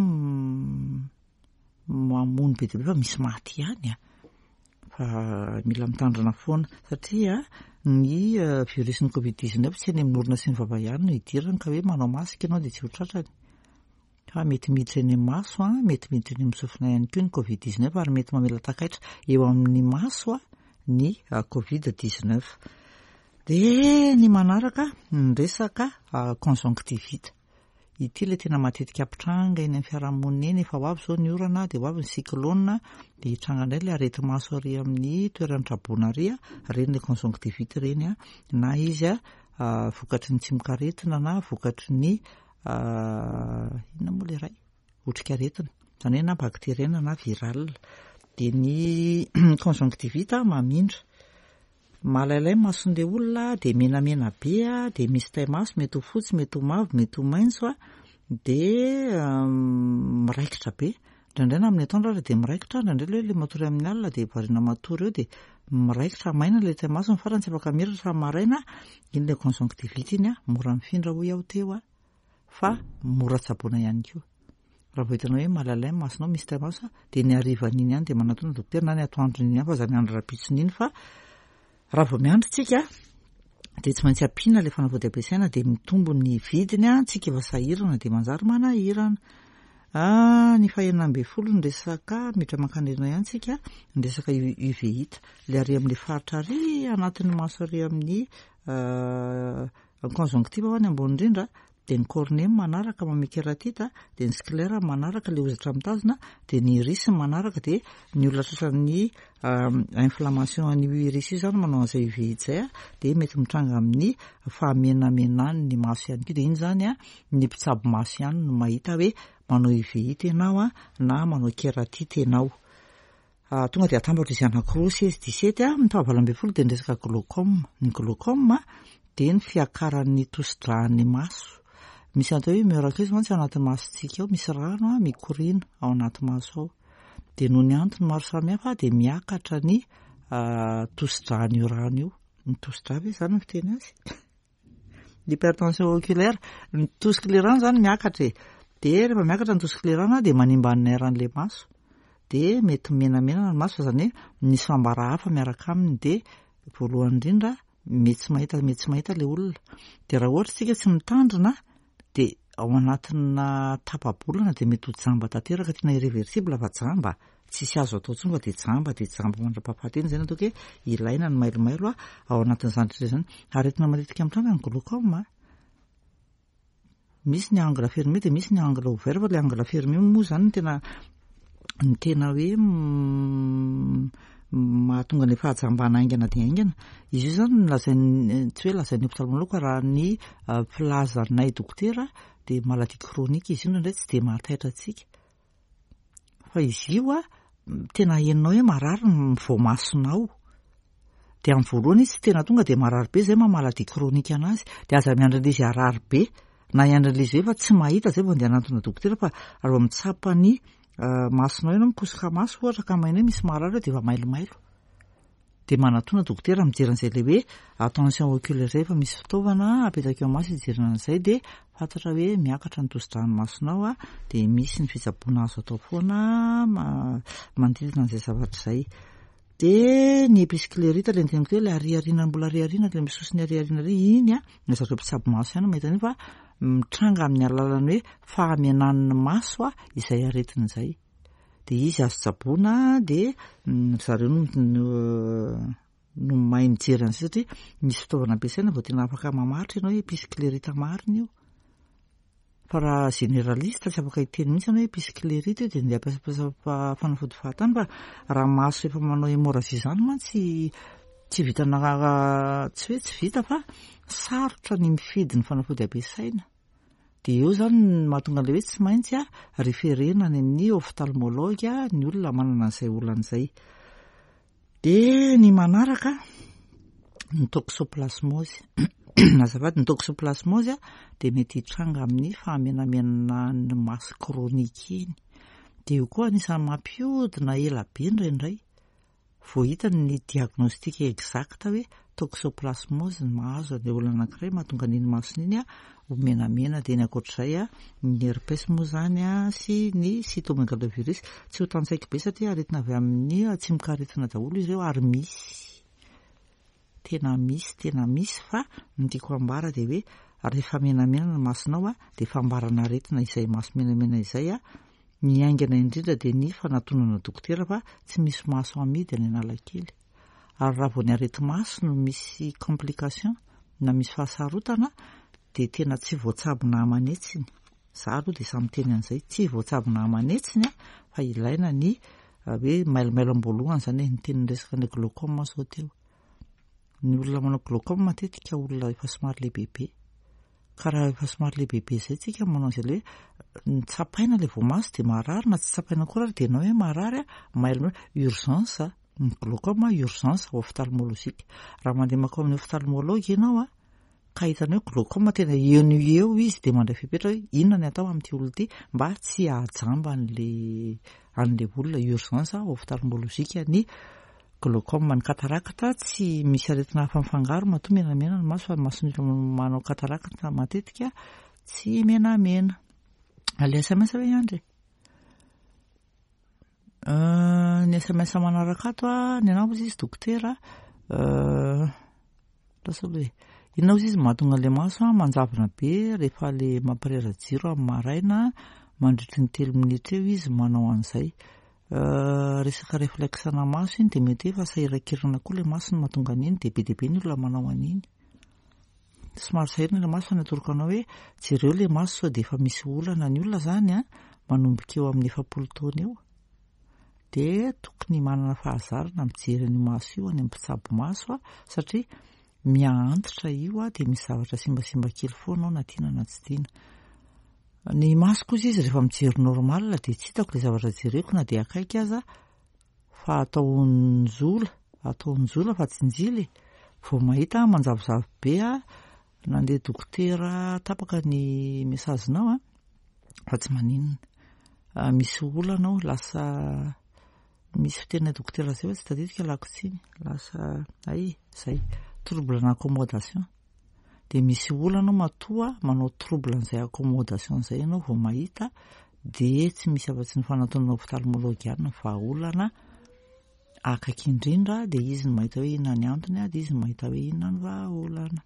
A: mamono be dia be, fa misy maty ihany a, fa mila mitandrina foana satria ny virus ny covid dix-neuf tsy any amin'ny orona sy ny vava ihany no idirany, ka hoe manao masika ianao de tsy ho tratrany, fa mety miditra eny amin'ny maso a, mety miditra eny amin'ny sofina ihany koa ny covid dix-neuf, ary mety mamela takaitra eo amin'ny maso a ny covid dix-neuf. De ny manaraka, ny resaka conjonctivite. Ity le tena matetika ampitranga eny amin'ny fiarahamonina eny. Efa ho avy zao ny orana, de ho avy ny cyclone, de hitranga indray le areti-maso ary amin'ny toeran'ny traboina ary a, reny le conjonctivite reny a, na izy a vokatry ny tsimokaretina na vokatry ny inona moa le ray otrikaretina zany hoe na bactérienne na viral. De ny conjonctivite mamindra, malailay mason'le olona, de menamena be a, de misy tai-maso, mety ho fotsy, mety ho mavo, mety ho maitso a, de miraikitra be indraindray, na amin'ny atoandro ary de miraikitra indraindray, le hoe le matory amin'ny alina de variana matory eo, de miraikitra maina le tai-maso, ny farany tsy afaka miratra fa maraina. Iny le conjonctivite iny a, mora mifindra hoy aho teo a, fa mora tsaboina ihany koa. Raha vao hitanao hoe malailay masonao, misy tai-maso, de ny harivan'iny ihany de manatona dokotera, na ny atoandron'iny ihany, fa za miandry rahampitson'iny, fa raha vao miandry tsika de tsy maintsy ampiana le fanafody ampiasaina, de mitombo ny vidiny a, tsika efa sahirana de manjary manahirana. Ny fahenina ambin'ny folo, ny resaka miditra mankanirina ihany tsika, ny resaka uvéite, le ary amin'le faritra ary anatin'ny maso, ary amin'ny conjonctive ho any ambony indrindra, de ny cornée manaraka mamia kératite, de ny sclère manaraka le hozatra mitazona, de ny iris manaraka. De ny olona tratran'ny inflammation an'io iris io zany manao an'izay uvéite zay a, de mety mitranga amin'ny fahamenamenany ny maso ihany koa. De iny zany a, ny mpitsabo maso ihany no mahita hoe manao uvéite ianao a na manao kératite ianao. Tonga dia atambatra izy anankiroa, seize, dix-sept a. Ny fahavalo ambin'ny folo dia ny resaka glaucome. Ny glaucome dia ny fiakaran'ny tosi-dràn'ny maso. Misy atao hoe humeur aqueuse mantsy ao anatin'ny masontsika ao, misy rano a mikoriana ao anaty maso ao. Dia noho ny antony maro samihafa dia miakatra ny tosi-dràn'io rano io. Ny tosi-drà ve izany no fiteny azy? L'hypertension oculaire, ny tosik'ilay rano izany miakatra e. Dia rehefa miakatra ny tosik'ilay rano dia manimba ny nerf an'ilay maso. Dia mety menamena ny maso, fa izany hoe misy fambara hafa miaraka aminy. Dia voalohany indrindra mety tsy mahita, mety tsy mahita ilay olona. Dia raha ohatra isika tsy mitandrina dia ao anatina tapa-bolana dia mety ho jamba tanteraka, tena irréversible fa jamba, tsisy azo atao intsony fa dia jamba, dia jamba mandra-pahafaty eny. Izay no ataoko hoe ilaina ny mailomailo ao anatin'izany rehetra izany. Aretina matetika mitranga ny glaucome. Misy ny angle fermé dia misy ny angle ouvert, fa ilay angle fermé moa izany no tena ny tena hoe mahatonga ny fahajambana haingana dia haingana. Izy io izany lazain'ny, tsy hoe lazain'ny ophtalmologue, raha ny filazanay dokotera dia maladie chronique izy io, indraindray tsy dia mahataitra antsika. Fa izy io a tena henonao hoe marary ny voamasonao. Dia amin'ny voalohany izy tsy tena tonga dia marary be, izay maha maladie chronique anazy. Dia aza miandry an'izy harary be na hiandry an'izy hoe efa tsy mahita izay vao andeha hanantona dokotera, fa raha vao mitsapa ny masonao ianao, mikosoka maso ohatra ka maheno hoe misy marary eo dia efa mailomailo. Dia manatona dokotera mijery an'izay ilay hoe tension oculaire izay, efa misy fitaovana apetaka eo amin'ny maso hijerena an'izay, dia fantatra hoe miakatra ny tosi-dràn'ny masonao a, dia misy ny fitsaboana azo atao foana manodidina an'izay zavatra izay. Dia ny épisclérite ilay niteniko hoe ilay ariariana, mbola ariariana, ilay misosy ny ariariana ilay iny a, ny zareo mpitsabo maso ihany mahita an'io, fa mitranga amin'ny alalan'ny hoe fahamenan'ny maso a izay aretina izay. Dia izy azo tsaboina, dia zareo no no mahay mijery an'izay satria misy fitaovana ampiasaina vao tena afaka mamaritra ianao hoe épisclérite marina io. Fa raha généraliste tsy afaka hiteny mihitsy ianao hoe épisclérite io, dia andeha hampiasa fanafody fahatany. Fa raha maso efa manao hémorragie izany mantsy tsy vitana, tsy hoe tsy vita fa sarotra ny mifidy ny fanafody ampiasaina. Dia eo izany no mahatonga an'ilay hoe tsy maintsy a référena any amin'ny ophtalmologue ny olona manana an'izay olana izay. Dia ny manaraka ny toxoplasmose. Azafady, ny toxoplasmose dia mety hitranga amin'ny fahamenamenan'ny maso chronique iny. Dia io koa anisan'ny mampiodina ela be indraindray. Vao hita ny diagnostic exact hoe toxoplasmose ny mahazo an'ilay olona anankiray mahatonga an'iny masony iny ho menamena. Dia ny ankoatr'izay a ny herpès moa izany a sy ny cytomégalovirus tsy ho tantsaiko be satria aretina avy amin'ny tsimokaretina daholo izy ireo, ary misy tena misy, tena misy. Fa ny tiako ambara dia hoe rehefa menamena ny masonao a dia fambarana aretina izay maso menamena izay a ny haingana indrindra dia ny fanatonana dokotera, fa tsy misy maso amidy any Analakely. Ary raha vao ny areti-maso no misy complication na misy fahasarotana dia tena tsy voatsabona aman'hetsiny. Za aloha dia samy miteny an'izay, tsy voatsabona aman'hetsiny a, fa ilaina ny hoe mailomailo am-boalohany izany hoe niteny resaka ny glaucome zao teo. Ny olona manao glaucome matetika olona efa somary lehibebe. Ka raha efa somary lehibebe izay tsika manao an'izay ilay hoe ny tsapaina ilay voamaso dia marary, na tsy tsapaina akory ary dia ianao hoe marary a, mailomailo, urgence ny glaucome, urgence ophtalmologique. Raha mandeha mankao amin'ny ophtalmologue ianao a, ka hitanao hoe glaucome tena eo no eo izy, dia mandray fepetra hoe inona ny atao amin'ity olona ity mba tsy hahajamba an'ilay an'ilay olona. Urgence ophtalmologique ny glaucome. Ny cataracte tsy misy aretina hafa mifangaro matoa menamena ny maso, fa ny mason'olona manao cataracte matetika tsy menamena. Ilay S M S ve Andry? Ny S M S manaraka ato a, ny anao izy dokotera, lasa aloha e. Inona ozy izy mahatonga an'ilay maso a manjavona be rehefa le mampirehitra jiro amin'ny maraina mandritry ny telo minitra eo izy manao an'izay. Resaka réflexe-na maso iny, dia mety hoe efa sahirankirana koa ilay maso no mahatonga an'iny, dia be dia be ny olona manao an'iny. Somary sahirana ilay maso, fa ny atoroko anao hoe jereo ilay maso sao dia efa misy olana. Ny olona izany a manomboka eo amin'ny efapolo taona eo dia tokony manana fahazarana mijery an'io maso io any amin'ny mpitsabo maso a, satria miha-antitra io a dia misy zavatra simbasimba kely foana ao na tiana na tsy tiana. Ny maso kosa izy rehefa mijery normal dia tsy hitako ilay zavatra jereko na dia akaiky aza, fa atao njola, atao njola fa tsy njily. Vao mahita manjavozavo be a, nandeha dokotera. Tapaka ny message-nao a, fa tsy maninona. Misy olana ao, lasa misy fitenina dokotera zay fa tsy tadidiko, alako tsiny, lasa ay zay trouble d'accommodation. De misy olana ao matoa manao trouble an'izay accommodation zay ianao vao mahita, de tsy misy afa-tsy ny fanantonana ophtalmologue ihany ny vahaolana akaiky indrindra. De izy no mahita hoe inona ny antony a, de izy no mahita hoe inona ny vahaolana.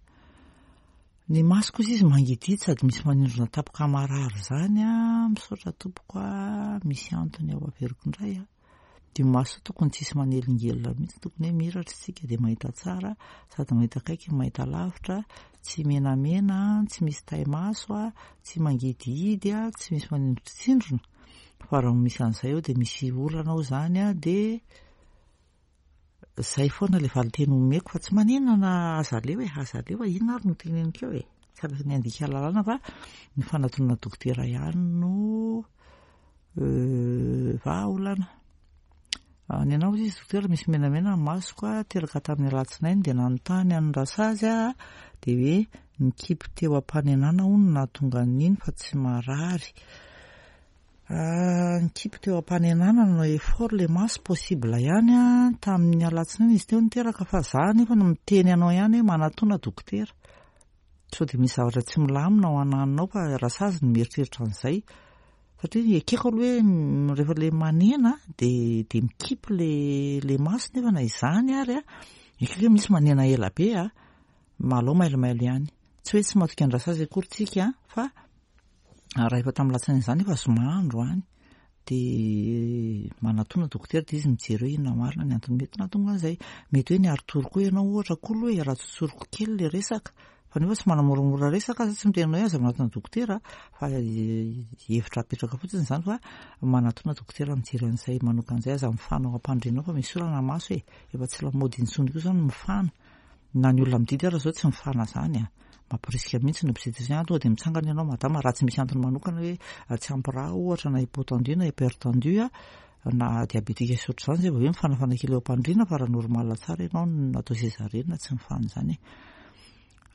A: Ny maso kosa izy mangididy sady misy manindrona tapoka marary zany a. Misaotra tompoko a, misy antony ao, averiko indray a. De maso tokony tsisy manelingelina mihitsy, tokony hoe miratra isika de mahita tsara sady mahita akaiky, mahita lavitra, tsy menamena, tsy misy tay-maso a, tsy mangidihidy a, tsy misy manindrotsindrona. Fa raha misy an'izay eo de misy olana ao zany a. De zay foana le valinteny omeko, fa tsy maninona na aza aleo e, aza aleo a. Inona ary no teneniko eo e? Tsy afaka ny andika lalàna fa ny fanantonana dokotera ihany no vahaolana. Ny anao izy dokotera, misy menamena ny masoko a, teraka tamin'ny alatsinainy, de nanontany any rasazy a, de hoe nikipy teo am-panenana hono nahatonga an'iny fa tsy marary. Nikipy teo am-panenana, nanao effort le maso, possible ihany a. Tamin'ny alatsinainy izy teo niteraka, fa za nefa no miteny anao ihany hoe manatona dokotera sao de misy zavatra tsy milamina ao ananinao, fa rasazy no mieritreritra an'izay, satria ekeko aloha hoe rehefa le manena de de mikipy le le maso. Nefa na izany ary a, ekeko hoe misy manena ela be a, malao mailomailo ihany. Tsy hoe tsy matoky an-drasazy akory tsika, fa raha efa tamin'ny latsinainy izany, efa zoma androany, de manatona dokotera, de izy mijery hoe inona marina ny antony mety nahatonga an'izay. Mety hoe niari-tory koa ianao ohatra koa aloha e, raha tsotsoriko kely le resaka, fa nefa tsy manamoramora resaka za, tsy miteny anao hoe aza manatona dokotera, fa hevitra apetraka fotsiny zany, fa manatona dokotera mijery an'izay manokan'izay. Aza mifana ao am-pandrianao fa misy olana maso e, efa tsy lamaody intsony koa zany mifana, na ny olona mididy ara zao tsy mifana zany a, mampirisika mihitsy ny obstétricien tonga de mitsangana ianao madama, raha tsy misy antony manokana hoe tsy ampy rà ohatra, na hypotendu na hypertendu a, na diabétique sy ohatr'izany zay vao hoe mifanafana kely eo am-pandriana. Fa raha normal tsara ianao, natao césarienne, tsy mifana zany e.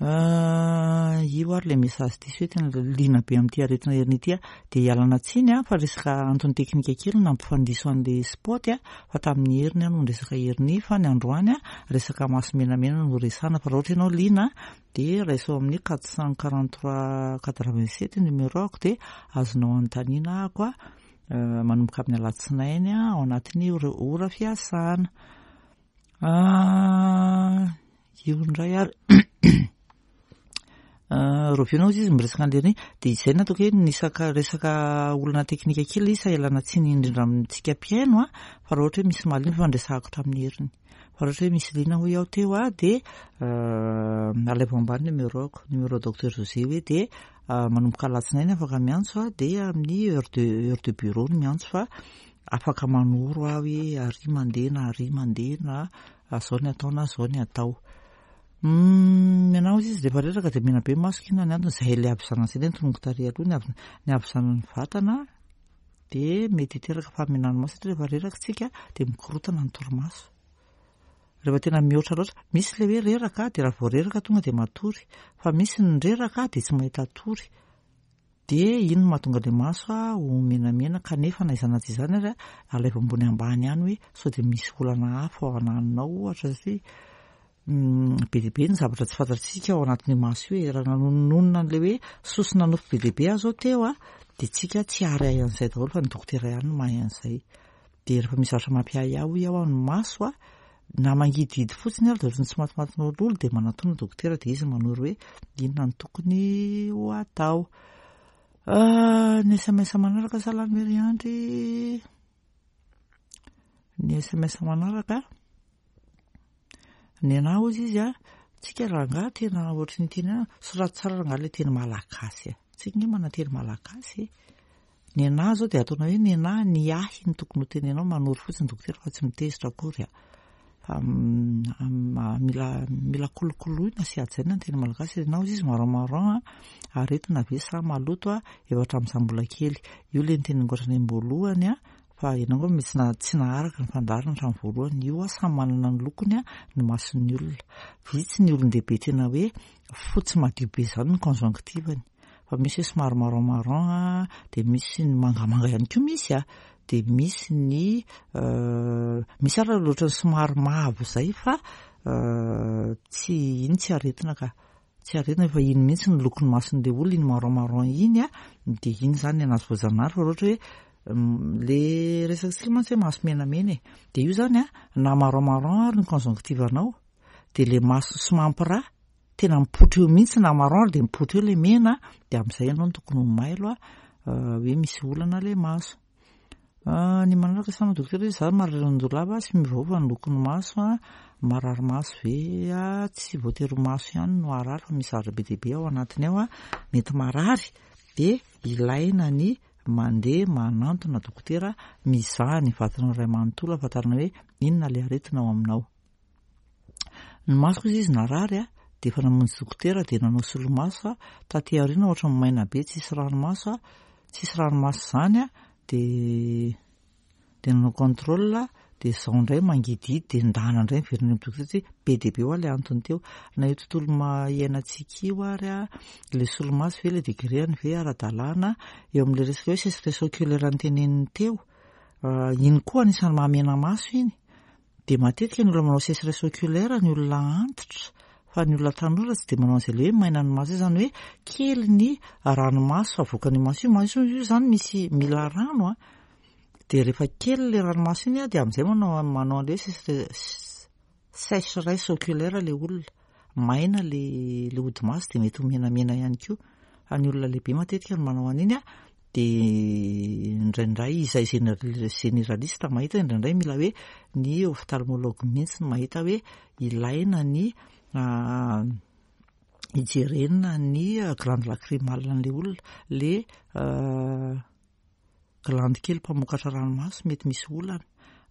A: Io ary le message diso hoe tena liana be amin'ity aretina hernie ity a, de ialana tsiny a, fa resaka antony teknika kely nampifandiso an'le spot a, fa tamin'ny heriny a no resaka hernie, fa ny androany a resaka maso menamena no resana. Fa raha ohatra ianao liana de raiso amin'ny quatre cent quarante trois quatre vingt sept numéro ako, de azonao anontaniana ako a, manomboka amin'ny alatsinainy a, ao anatin'ny ora fiasana. Io indray ary roviana izy izy miresaka an'le de izay nataoko hoe nisaka resaka olana teknika kely izy, ialana tsiny indrindra amintsika mpihaino a. Fa raha ohatra hoe misy mahaliana, fa ndresahako tamin'ny heriny, fa raha ohatra hoe misy liana hoy aho teo a, de alaivo ambany numéro-ako, numéro docteur José hoe, de manomboka alatsinainy afaka miantso a, de amin'ny heure de heure de bureau no miantso, fa afaka manoro aho hoe ary mandeha na ary mandeha, na zao ny atao na zao ny atao. Ny anao izy izy rehefa reraka de mena be masoko, inona ny antony? Zay le havizanana zay le notononiko tary aloha, ny hav- ny havizanan'ny vatana de mety hiteraka fahamenan'ny maso, satria rehefa reraka tsika de mikorotana ny torimaso rehefa tena mihoatra loatra. Misy le hoe reraka de raha vao reraka tonga de matory, fa misy ny reraka de tsy mahita tory, de ino no mahatonga le maso a ho menamena. Kanefa na izany na tsy izany ary a, alaivo ambony ambany ihany hoe sao de misy olana hafa ao ananinao ohatra, satria be dia be ny zavatra tsy fantatsika ao anatin'io maso io e. Raha nanononona an'le hoe sosona nofo be dia be aho zao teo a, de tsika tsy ary ahy an'izay daholo, fa ny dokotera ihany no mahay an'izay. De rehefa misy zavatra mampiahiahy hoy aho ny maso a, na mangidihidy fotsiny ary de ohatran'ny tsy matimatin'ololo, de manatona dokotera, de izy manoro hoe inona no tokony ho atao. Ny S M S manaraka, salamy heriandry, ny S M S manaraka, ny anahy ozy izy a, tsika rangahy tena ohatry ny teny soraty tsara rangahy le teny malagasy a, tsika nge mana teny malagasy. Ny anahy zao de ataonao hoe ny anahy, ny ahy ny tokony ho tenenao. Manoro fotsiny dokotera fa tsy mitezitra akory a, fa mila mila kolokoloina sy hajaina ny teny malagasy. Anao izy izy marron marron a, aretina ve sa maloto a? Efa hatramin'izaho mbola kely io le niteneniko hatrany am-boalohany a. Fa ianao angamba mety tsy naharaka ny fandaharana hatramin'ny voalohany. Io samy manana ny lokony ny mason'ny olona. Vitsy ny olon-dehibe tena hoe fotsy madio be izany ny conjonctive-ny. Fa misy hoe somary marron marron, dia misy ny mangamanga ihany koa misy a, dia misy ny misy ary ohatran'ny somary mavo izay fa tsy iny tsy aretina ka. Tsy aretina fa iny mihitsy ny lokon'ny mason'ilay olona, iny marron marron iny a, dia iny izany ny anazy voajanahary. Fa raha ohatra hoe le resakantsika mantsy hoe maso menamena e, dia io izany a, na marron marron ary ny conjonctive-nao, dia ilay maso sy mampiraha tena mipoitra eo mihitsy, na marron ary dia mipoitra eo ilay mena, dia amin'izay ianao no tokony ho mailo a, hoe misy olana ilay maso. Ny manaraka salama dokotera, izaho marary an-doha sy miovaova ny lokon'ny maso a, marary maso ve a? Tsy voatery ho maso ihany no harary fa misy zavatra be dia be ao anatiny ao a, mety marary, dia ilaina ny mandeha manantona dokotera mizaha ny vatanao iray manontolo ahafantarana hoe inona ilay aretina ao aminao. Ny masoko izy izy narary a, dia efa namonjy dokotera dia nanao solomaso a, taty aoriana ohatran'ny maina be tsisy ranomaso a, tsisy ranomaso izany a, dia dia nanao contrôle dia izao indray mangidihidy dia ndana indray miverina any amin'ny dokotera satria be dia be ho aho ilay antony teo. Na io tontolo iainantsika io ary a, ilay solomaso ve, ilay degré-ny ve ara-dalàna eo amin'ilay resaka hoe sécheresse oculaire noteneniny teo, iny koa anisan'ny mahamena maso iny. Dia matetika ny olona manao sécheresse oculaire ny olona antitra, fa ny olona tanora tsy dia manao an'izay ilay hoe maina ny maso izany, hoe kely ny ranomaso avoakan'io maso io. Maso io izany misy mila rano a, dia rehefa kely ilay ranomaso iny a, dia amin'izay manao manao an'ilay hoe sécheresse oculaire ilay olona, maina ilay ilay hodi-maso dia mety ho menamena ihany koa. Fa ny olona lehibe matetika no manao an'iny a, dia indraindray izay généraliste mahita, indraindray mila hoe ny ophtalmologue mihitsy no mahita hoe ilaina ny hijerena ny glande lacrymale an'ilay olona, le glande kely mpamokatra ranomaso mety misy olana,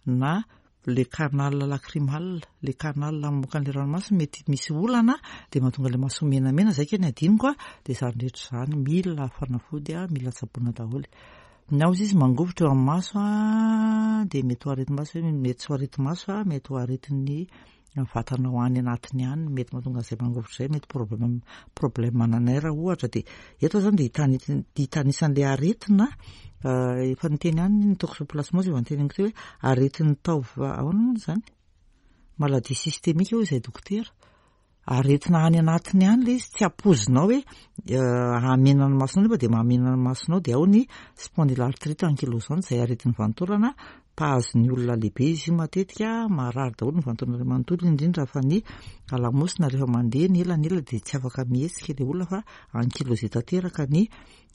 A: na le canal lacrymal, le canal mamoaka an'ilay ranomaso mety misy olana dia mahatonga ilay maso menamena. Zay keny adinoko a, dia izany rehetra izany mila fanafody a, mila tsaboina daholo. Ny ao izy izy mangovitra eo amin'ny maso a, dia mety ho areti-maso, mety tsy ho areti-maso a, mety ho aretin'ny vatanao any anatiny any, mety mahatonga an'izay mangovitra izay, mety problème problème ananay ohatra. Dia eto zany dia hitany hitanisan'ilay aretina efa niteny ihany ny toxoplasmose, efa niteneniko teo hoe aretin'ny taova, ahoana moa izany, maladie systémique hoy izay dokotera, aretina any anatiny any ilay izy, tsy ampoizinao hoe hahamena ny masonao nefa dia mahamena ny masonao. Dia ao ny spondylarthrite ankylosante, izay aretin'ny vanin-taolana mpahazo ny olona lehibe izy io, matetika marary daholo ny vanin-taolana iray manontolo, indrindra fa ny lamosina rehefa mandeha ny ela ny ela dia tsy afaka mihetsika ilay olona fa ankylosé tanteraka ny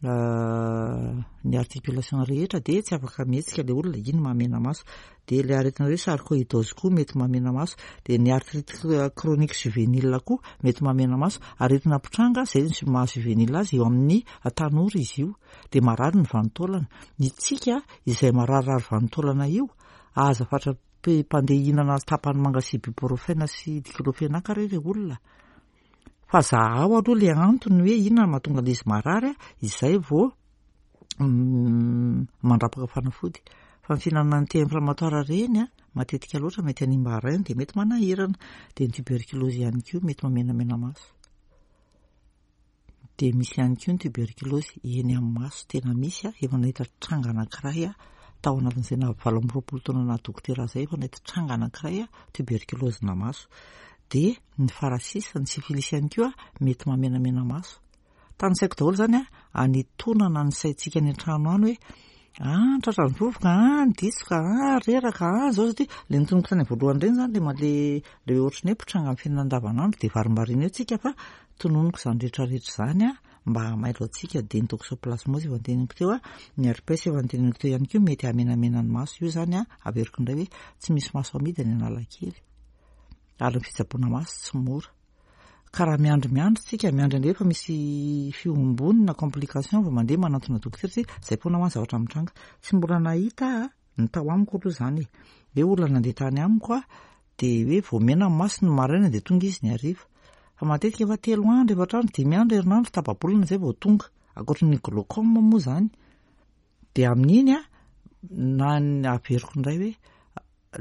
A: ny articulation rehetra, dia tsy afaka mihetsika ilay olona, iny mahamena maso. Dia ilay aretina hoe sarcoïdose koa mety mahamena maso, dia ny arthrite chronique juvénile koa mety mahamena maso, aretina mpitranga izay maha juvénile azy eo amin'ny tanora izy io, dia marary ny vanin-taolana. Itsika izay mararirary vanin-taolana io, aza fatra mpandeha hihinana tapany manga sy ibuprofène sy diclofenac re ilay olona, fa zahao aloha ilay antony hoe inona no mahatonga an'izy marary a, izay vao mandrapaka fanafody. Fa ny fihinanana anti-inflammatoire reny a, matetika loatra mety hanimba rein dia mety manahirana. Dia ny tuberculose ihany koa mety mamenamena maso. Dia misy ihany koa ny tuberculose eny amin'ny maso, tena misy a, efa nahita tranga anankiray a, tao anatin'izay na valo amby roapolo taona naha dokotera zay, efa nahita tranga anankiray a, tuberculose na maso. Dia ny farasisa, ny syphilis ihany koa mety mamenamena maso. Tanisaiko daholo zany a, anitonana ny saintsika any an-trano any hoe ah tratra ny vovoka, ah ditsoka, ah reraka, ah zao satria le notononiko tany voalohany ireny zany le le le ohatran'ny hoe mpitranga amin'ny fiainana andavanandro dia varimbariana eo tsika, fa tononiko izany rehetrarehetra izany a mba hamailo antsika. Dia ny toxoplasmose efa noteneniko teo a, ny herpès efa noteneniko teo ihany koa mety hamenamena ny maso io zany a. Averiko indray hoe tsy misy maso amidy any Analakely, ary ny fitsaboana maso tsy mora. Ka raha miandry miandry tsika, miandry an'ilay efa misy fihombony na complication vao mandeha manantona dokotera, satria zay foana ho any zavatra mitranga. Tsy mbola nahita ny tao amiko aloha zany e, hoe olona nandeha tany amiko a, dia hoe vao mena ny masony maraina dia tonga izy ny hariva. Fa matetika efa telo andro, efatra andro, dimy andro, herinandro, tapa-bolana izay vao tonga. Ankoatry ny glaucome moa zany. Dia amin'iny a, Na ny averiko indray hoe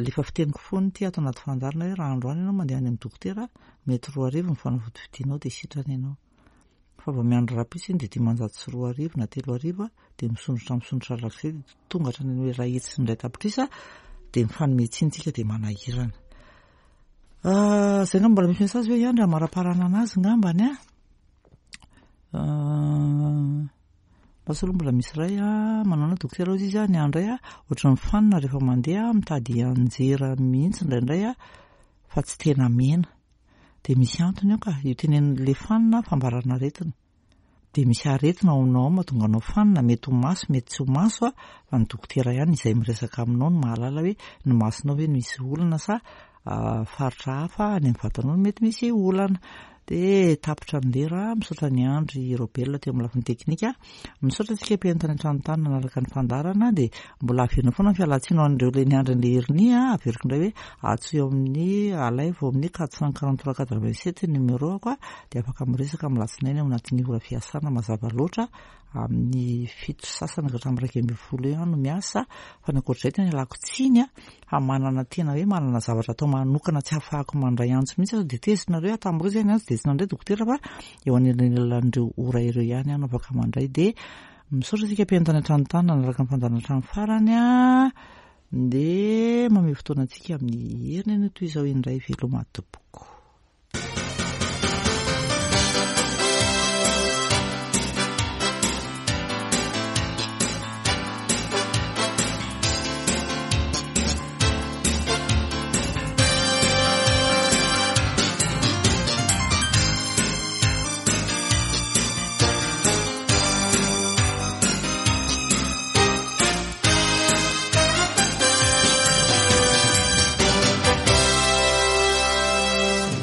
A: le efa fiteniko foana ity ato anaty fandaharana hoe raha androany ianao mandeha any amin'ny dokotera, mety roa arivo ny fanafody vidinao dia sitrana ianao. Fa vao miandry rahampitso iny dia dimanjato sy roa arivo na telo arivo dia misondrotra misondrotra arak'izay dia tonga hatrany amin'ny iray hetsy sy ny iray tapitrisa dia mifanome tsiny tsika dia manahirana. Izay angamba mbola misy message hoe ihany raha maraparana anazy ngambany a. Lasa aloha mbola misy iray a, manao na dokotera hozy izy a, ny andray a, ohatran'ny fanina rehefa mandeha mitady anjera mihitsy indraindray a, fa tsy tena mena. Dia misy antony io ka, io tenenin'ilay fanina fambarana aretina. Dia misy aretina ao aminao ao mahatonga anao fanina, mety ho maso, mety tsy ho maso a, fa ny dokotera ihany izay miresaka aminao no mahalala hoe ny masonao ve no misy olana sa faritra hafa any amin'ny vatanao no mety misy olana. Dia tapitra ny lera, misaotra ny Andry Robel teo amin'ny lafiny teknika, misaotra antsika mpihaino tany an-trano tany nanaraka ny fandaharana, dia mbola averina foana ny fialantsiny ho an'ireo ilay niandry an'ilay heriny a, averiko indray hoe antsoy eo amin'ny alaivo amin'ny quatre cent quarante trois quatre vingt sept numéro ako a, dia afaka miresaka amin'ny alatsinainy ao anatin'ny ora fiasana mazava loatra amin'ny fito sasany ka hatramin'ny iraika ambin'ny folo eo no miasa, fa ny ankoatr'izay tena ialako tsiny a, fa manana tena hoe manana zavatra atao manokana tsy ahafahako mandray antso mihitsy aho, dia tezitra nareo tamin'ireo izay ny antso dia tsy nandray dokotera fa eo anelanelan'ireo ora ireo ihany aho no afaka mandray. Dia misaotra antsika mpihaino tany an-trano tany nanaraka ny fandaharana hatramin'ny farany a, dia mamehy fotoana antsika amin'ny heriny anio toy izao indray. Veloma tompoko.